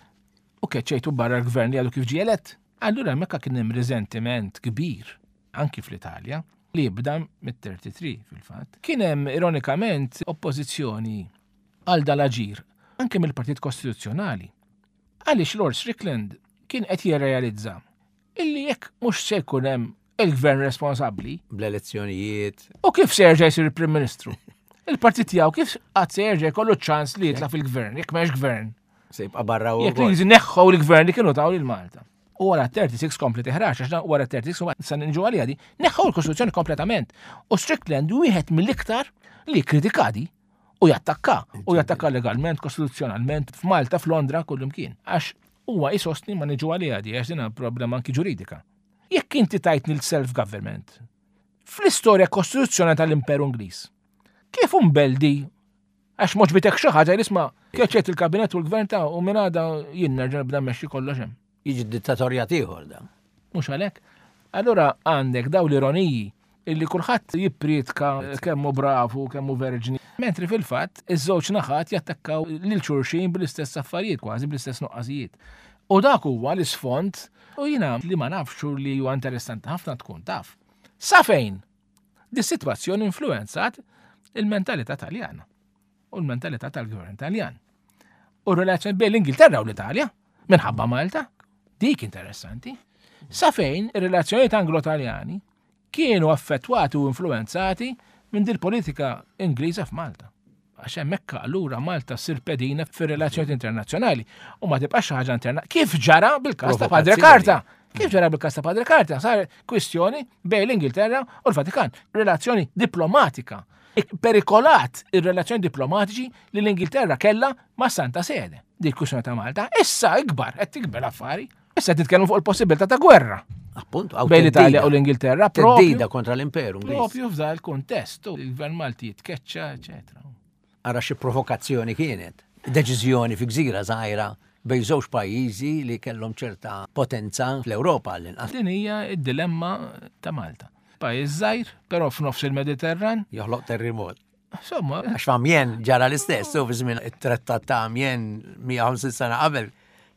U keċċejtu barra l-gvern li għadu kif ġie elett. Allura hemmhekk kien hemm riżentiment kbir anki fl-Italja li jibda mit-33 fil-fatt. Kien hemm ironikament oppożizzjoni għal dal-aġir anke mill-Partit Kostituzzjonali. Għaliex Lord Strickland kien qed jirrealizza illi jekk mhux se jkun hemm il-gvern responsabbli. Bl-elezzjonijiet. U kif se jerġa' jsir il-Prim Ministru? Il-partit tiegħu kif qatt se jerġa' jkollu ċans li jitla' fil-gvern, jekk m'hemmx gvern. Se jibqa' barra u. Jekk li neħħu l-gvern li kienu taw lil Malta. U wara 36 kompli tiħrax, għax wara 36 sa nġu għalija di, neħħu l-Kostituzzjoni kompletament. U Strickland wieħed mill-iktar li kritikadi u jattakka, u jattakka legalment, kostituzzjonalment, f'Malta, f'Londra, kullimkien. Għax huwa jisostni ma niġu għalija di, għax din problema anki ġuridika. Jekk inti tajtni l-self-government, fl-istorja kostituzzjonali tal-Imperu Ingliż, kif umbeldi Għax m'għoġbitek xi ħaġa isma' keċċejt il-kabinet u l-gvern ta' u minn għada jien nerġa' nibda mmexxi kollox hemm. Jiġi dittatorjat ieħor dan. Mhux għalhekk. Allura għandek daw l-ironiji illi kulħadd jippriedka kemm hu bravu, kemm hu verġni. Mentri fil-fatt iż-żewġ naħat jattakkaw lil xulxin bl-istess affarijiet kważi bl-istess nuqqasijiet. U dak huwa l-isfond u jiena li ma nafx u li huwa interessanti ħafna tkun taf. Sa fejn dis-sitwazzjoni influenzat il-mentalità Taljana u l-mentalità tal-gvern Taljan. U r-relazzjoni bejn l-Ingilterra u l-Italja minħabba Malta, dik interessanti. Sa fejn ir-relazzjonijiet Anglo-Taljani kienu affettwati u influenzati minn dil-politika Ingliża f'Malta. Għax hemmhekk allura Malta ssir pedina fir-relazzjonijiet internazzjonali u ma tibqax xi ħaġa interna. Kif ġara bil-każ ta' Padre Karta? Kif ġara bil-każ ta' Padre Karta? Sar kwistjoni bejn l-Ingilterra u l-Vatikan. Relazzjoni diplomatika. Perikolat ir-relazzjoni diplomatiċi li l-Ingilterra kellha ma' Santa Sede. Di kwistjoni ta' Malta. Issa ikbar, qed tikber affari. Issa titkellmu fuq il-possibilità ta' gwerra. Appuntu, bejn l-Italja u l-Ingilterra. Teddida kontra l-imperu. Propju f'dan il-kuntest, il-gvern Malti jitkeċċa, eċetera. Ara xi provokazzjoni kienet. Deċiżjoni fi gżira żgħira bejn żewġ pajjiżi li kellhom ċerta potenza fl-Ewropa għall-inqas. Din hija d-dilemma ta' Malta. Pajjiż żgħir, però f'nofs il-Mediterran. Joħloq terremot. Insomma. Għax f'Amien ġara l-istess, u fi żmien it-trattat ta' Amien 150 sena qabel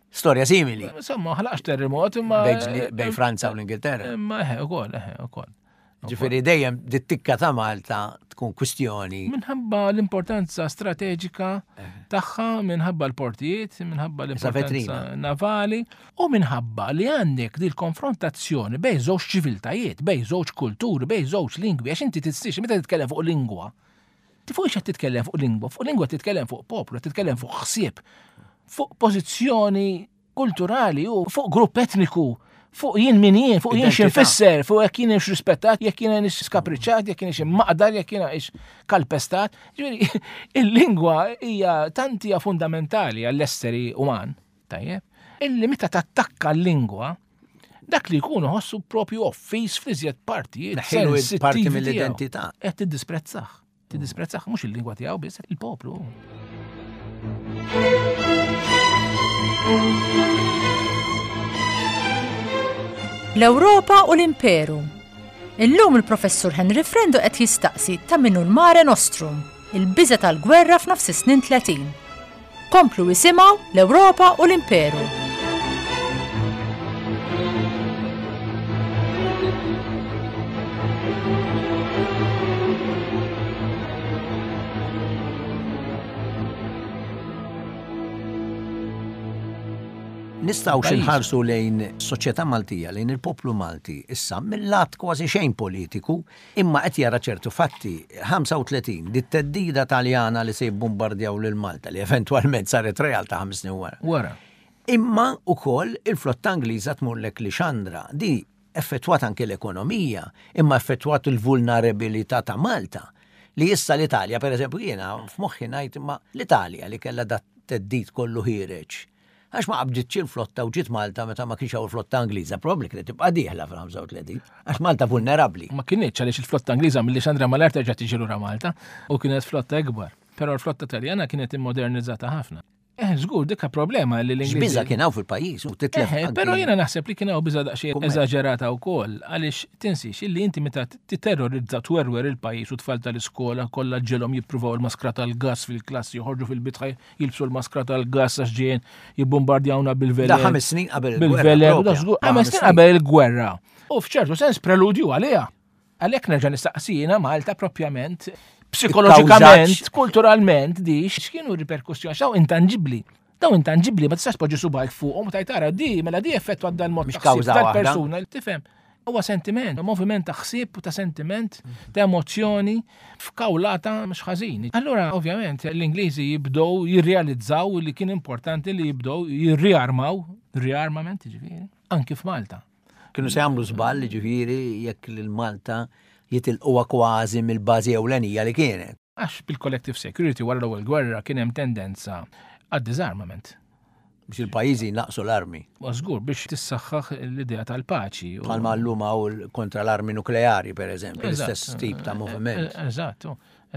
Storja simili. Insomma, ħlaqx terremot imma. Bej Franza u l-Ingilterra. Imma eħe, ukoll, eħe, ukoll. Ġifieri dejjem dit-tikka ta' Malta tkun kwistjoni. Minħabba l-importanza strateġika eh. tagħha, minħabba l-portijiet, minħabba l-importanza navali u minħabba li għandek dil konfrontazzjoni bej żewġ ċiviltajiet, bej żewġ kulturi, bej żewġ lingwi, għax inti tistix meta titkellem fuq lingwa. Fuq x'qed titkellem fuq lingwa, fuq lingwa titkellem fuq poplu, titkellem fuq ħsieb, fuq pożizzjoni kulturali u fuq grupp etniku, fuq jien min jien, fuq jien x'infisser, fuq jekk jien ix rispettat, jekk jien ix skapriċċat, jekk jien ix maqdar, jekk jien ix kalpestat. Ġifieri, il-lingwa hija tant hija fundamentali għall-esseri uman, tajjeb, illi meta tattakka l-lingwa, dak li jkun iħossu propju offiż fl-iżjed partijiet. Parti mill-identità. Qed tiddisprezzah. Tiddisprezzah mhux il-lingwa tiegħu biss, il-poplu. L-Ewropa u l-Imperu. Illum il-Professur Henry Frendo qed jistaqsi ta' minnu l-Mare Nostrum, il-biża' tal-gwerra f'nofs is-snin 30. Komplu isimgħu l-Ewropa u l-Imperu. Nistgħu xi nħarsu lejn soċjetà Maltija, lejn il-poplu Malti issa mill-lat kważi xejn politiku, Imma qed jara ċertu fatti. 35, dit-theddida Taljana li se jibbumbardjaw lil Malta, li eventwalment saret realtà ħames snin wara. Wara. Imma wkoll il-flotta Ingliża tmurlek Lixandra. Di effettwat anke l-ekonomija, imma effettwat il-vulnerabilità ta' Malta. Li issa l-Italja, per eżempju, jiena f'moħħi ngħid imma l-Italja li kellha dat-theddid kollu ħiereġ Għax ma qabditx il-flotta u ġiet Malta meta ma kienx hawn il-flotta Ingliża, probabbli kienet tibqa' dieħla fil-35, għax Malta vulnerabbli. Ma kinitx għaliex il-flotta Ingliża milli Xandra mal-art terġa' tiġi lura Malta u kienet flotta ikbar. Però l-flotta Taljana kienet immodernizzata ħafna. Eh, żgur, dikka problema li l-Ingliżi. Biża kien hawn fil-pajjiż u titlef. Eh, però jiena naħseb li kien hawn biża daqsxejn eżaġerata wkoll għaliex tinsiex illi inti meta titerrorizza twerwer il-pajjiż u tfal tal-iskola kollha ġelhom jippruvaw il-maskra tal-gas fil-klassi joħorġu fil-bitħa jilbsu l-maskra tal-gas għax ġejjin jibbombardjawna bil-velen. Da ħames snin qabel il-gwerra. Bil-velen, ħames snin qabel il-gwerra. U f'ċertu sens preludju għaliha. Għalhekk nerġa' nistaqsina Malta propjament psikoloġikament, kulturalment, di x'kienu r-riperkussjoni, x'daw intangibbli. Daw intangibbli ma tistax poġġi subajk fuqhom u tajt ara di mela di effettwa dan mod tal-persuna, tifhem. Huwa sentiment, moviment ta' ħsieb u ta' sentiment, ta' emozzjoni f'kawlata mhux ħażin. Allura, ovvjament, l-Ingliżi jibdew jirrealizzaw li kien importanti li jibdew jirriarmaw, rearmament ġifieri, anki f'Malta. Kienu se jagħmlu żball ġifieri jekk lil Malta jitilquha kważi mill-bażi ewlenija li kienet. Għax bil-collective security wara l-ewwel gwerra kien hemm tendenza għad-disarmament. Biex il-pajjiżi jnaqqsu l-armi. Ma żgur biex tissaħħaħ l-idea tal-paċi. Bħalma llum hawn kontra l-armi nukleari, per eżempju, l-istess tip ta' moviment. Eżatt,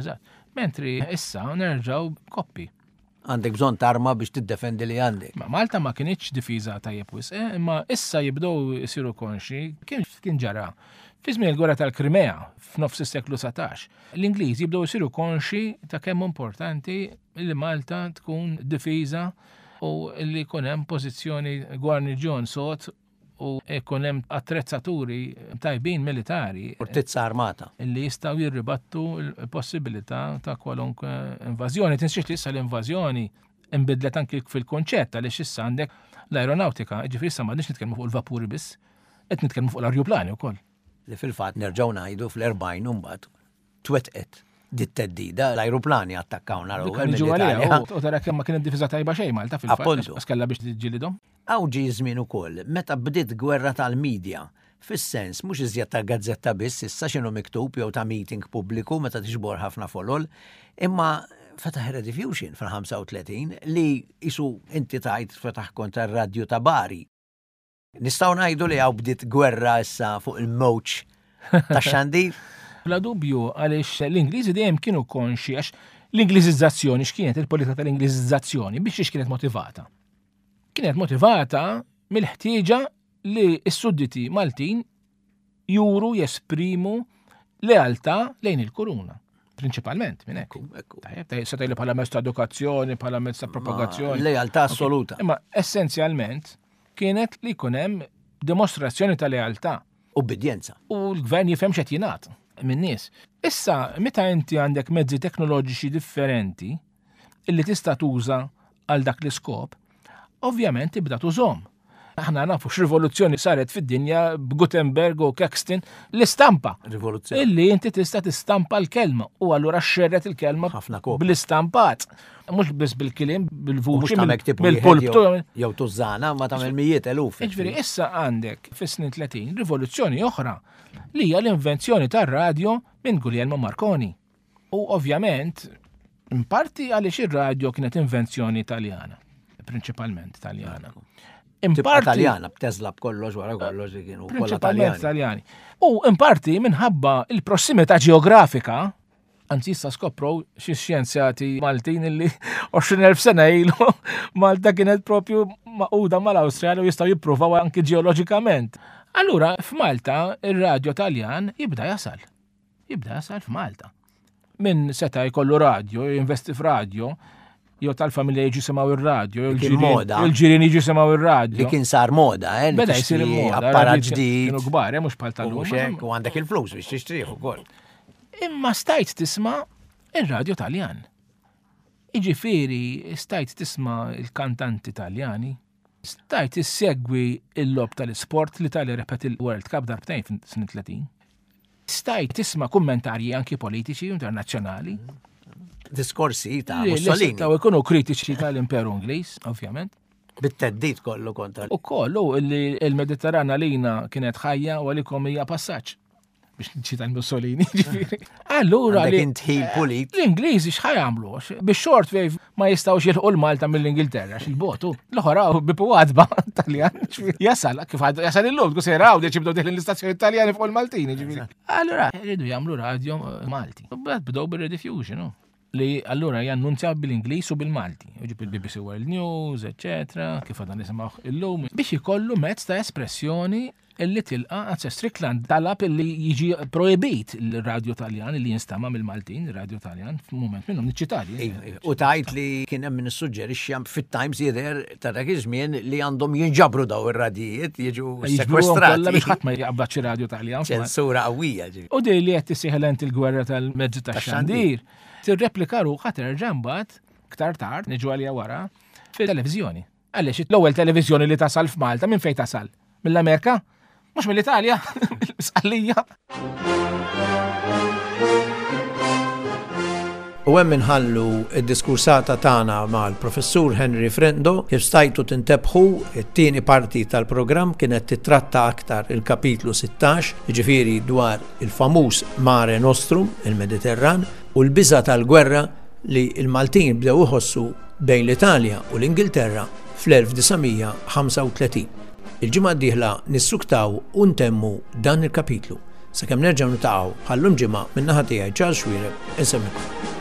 eżatt. Mentri issa nerġgħu koppi. Għandek bżonn tarma biex tiddefendi li għandek. Ma Malta ma kinitx difiża tajjeb wisq, eh, imma issa jibdew isiru konxi kien kien ġara. Fi żmien il-gwerra tal-Krimea f'nofs is-seklu 19, l-Ingliżi jibdew isiru konxi ta' kemm importanti li Malta tkun difiża u li jkun hemm pożizzjoni gwarniġjon sod u jkun hemm attrezzaturi tajbin militari. Fortizza armata. Li jistgħu jirribattu l-possibilità ta' kwalunkwe invażjoni. Tinsiex li issa l-invażjoni inbidlet anki fil-konċett għaliex issa għandek l-aeronautika, ġifieri issa m'għadniex nitkellmu fuq il-vapuri biss, qed nitkellmu fuq l-arjuplani wkoll. Li fil-fatt nerġgħu ngħidu fl-40 mbagħad twettqet dit-theddida, l-ajruplani attakkawna l-ewwel mill-Italja. U tara kemm ma kienet difiża tajba xejn Malta fil-fatt. Għax kellha biex tiġġielidhom. Hawn ġie żmien ukoll meta bdiet gwerra tal-media, fis-sens mhux iżjed ta' gazzetta biss issa x'inhu miktub jew ta' meeting pubbliku meta tiġbor ħafna folol, imma fetaħ ir-Rediffusion fil-35 li qisu inti tgħid fetaħ kontra r-radju ta' Bari. Nistgħu ngħidu li hawn bdiet gwerra issa fuq il-mewġ tax-xandir? Bla dubju għaliex l-Ingliżi dejjem kienu konxi għax l-Ingliżizzazzjoni x'kienet il-politika tal-Ingliżizzazzjoni biex xiex kienet motivata? Kienet motivata mill-ħtieġa li s-sudditi Maltin juru jesprimu lealtà lejn il-kuruna. Prinċipalment, minn hekk. Tajjeb, tajjeb, se tgħidli bħala mezz ta' edukazzjoni, bħala mezz ta' propagazzjoni. Lealtà assoluta. Imma essenzjalment kienet li jkun hemm dimostrazzjoni ta' lealtà. Ubbidjenza. U l-gvern jifhem x'qed jingħad min-nies. Issa, meta inti għandek mezzi teknoloġiċi differenti illi tista' tuża għal dak l-iskop, ovvjament tibda tużhom. Aħna nafu x'rivoluzzjoni saret fid-dinja b'Gutenberg u Caxton l-istampa. Rivoluzzjoni. Illi inti tista' tistampa l-kelma u allura xerret il-kelma bl-istampat. Mhux biss bil-kliem, bil-vuċi, bil-pulptu. Jew tużana ma tagħmel mijiet eluf. Jiġifieri issa għandek fis-snin 30 rivoluzzjoni oħra li hija l-invenzjoni tar-radjo minn Guglielmo Marconi. U ovvjament, in parti għaliex ir-radjo kienet invenzjoni Taljana, prinċipalment Taljana. In parti Taljana, b'Tesla b'kollox wara kollox li kienu kollha Taljani. Taljani. U in parti minħabba il-prossimità ġeografika, anzi issa skoprow xi xjenzjati Maltin illi 20,000 sena ilu Malta kienet propju maquda mal-Awstralja u jistgħu jippruvaw anki ġeoloġikament. Allura f'Malta ir-radjo Taljan jibda jasal. Jibda jasal f'Malta. Min seta' jkollu radjo, jinvesti f'radjo, jew tal-familja jiġu simgħu ir-radjo, jew il-ġirien jiġu simgħu ir-radjo. Li kien sar moda, eh? Beda jsir moda. Apparat ġdid. Kienu kbar, eh, mhux bħal tal-lum. U għandek il-flus biex tixtrih ukoll. Imma stajt tisma' ir-radjo Taljan. Iġifieri stajt tisma' il-kantanti Taljani, stajt issegwi il-logħob tal-isport, l-Italja rebħet il-World Cup darbtejn fis-snin 30. Stajt tisma' kummentarji anki politiċi internazzjonali. Diskorsi ta' Mussolini. Taw ikunu kritiċi tal-Imperu Ingliż, ovvjament. Bit-teddid kollu kontra. U kollu li l-Mediterran għalina kienet ħajja u għalikom hija passaġġ. biex nċita Mussolini, ġifieri. Allura li intħil pulit. L-Ingliżi x'ħa jagħmlu? Biex short wave ma jistgħux jilħqu l-Malta mill-Ingilterra x'il-botu. L-oħra bipu għadba Taljan. Jasal, kif jasal illum, tkun sejra għawdex jibdew deħlin l-istazzjoni Taljani fuq il-Maltini, ġifieri. Allura jridu jagħmlu radio eh, Malti. U bdew bir-rediffusion, li allura jannunzja bil-Ingliż u bil-Malti, ġib il-BBC World News, eccetera, kif għadna nisimgħu illum, biex ikollu mezz ta' espressjoni illi tilqa' anzi Strickland talab illi jiġi projbit il-radju Taljan illi jinstama' mill-Maltin, ir-radju Taljan, f'mument minnhom niċċitali. Iva, iva. U tajt li kien hemm min issuġġerixxi fit-Times jidher ta' dak iż-żmien li għandhom jinġabru daw ir-radijiet jiġu sekwestrati. Biex ħadd ma jaqbad xi radju Taljan. Ċensura qawwija ġifieri. U di li qed tissieħel il-gwerra tal-mezzi tax-xandir, tirreplika ruħha terġa' mbagħad iktar tard, niġu għalija wara, fil-televiżjoni. Għaliex l-ewwel televiżjoni li tasal f'Malta minn fejn tasal? Mill-Amerika? Mhux mill-Italja, mill-Sqallija. U hemm inħallu d-diskursata tagħna mal-Professur Henry Frendo. Kif stajtu tintebħu, it-tieni parti tal-programm kienet titratta aktar il-kapitlu 16, jiġifieri dwar il-famuż Mare Nostrum, il-Mediterran, u l-biża' tal-gwerra li l-Maltin bdew iħossu bejn l-Italja u l-Ingilterra fl-1935. Il-ġimgħa d-dieħla nissuktaw u ntemmu dan il-kapitlu. Sakemm nerġgħu niltaqgħu bħal-lum ġimgħa min-naħa tiegħi Charles Xuereb insellmilkom.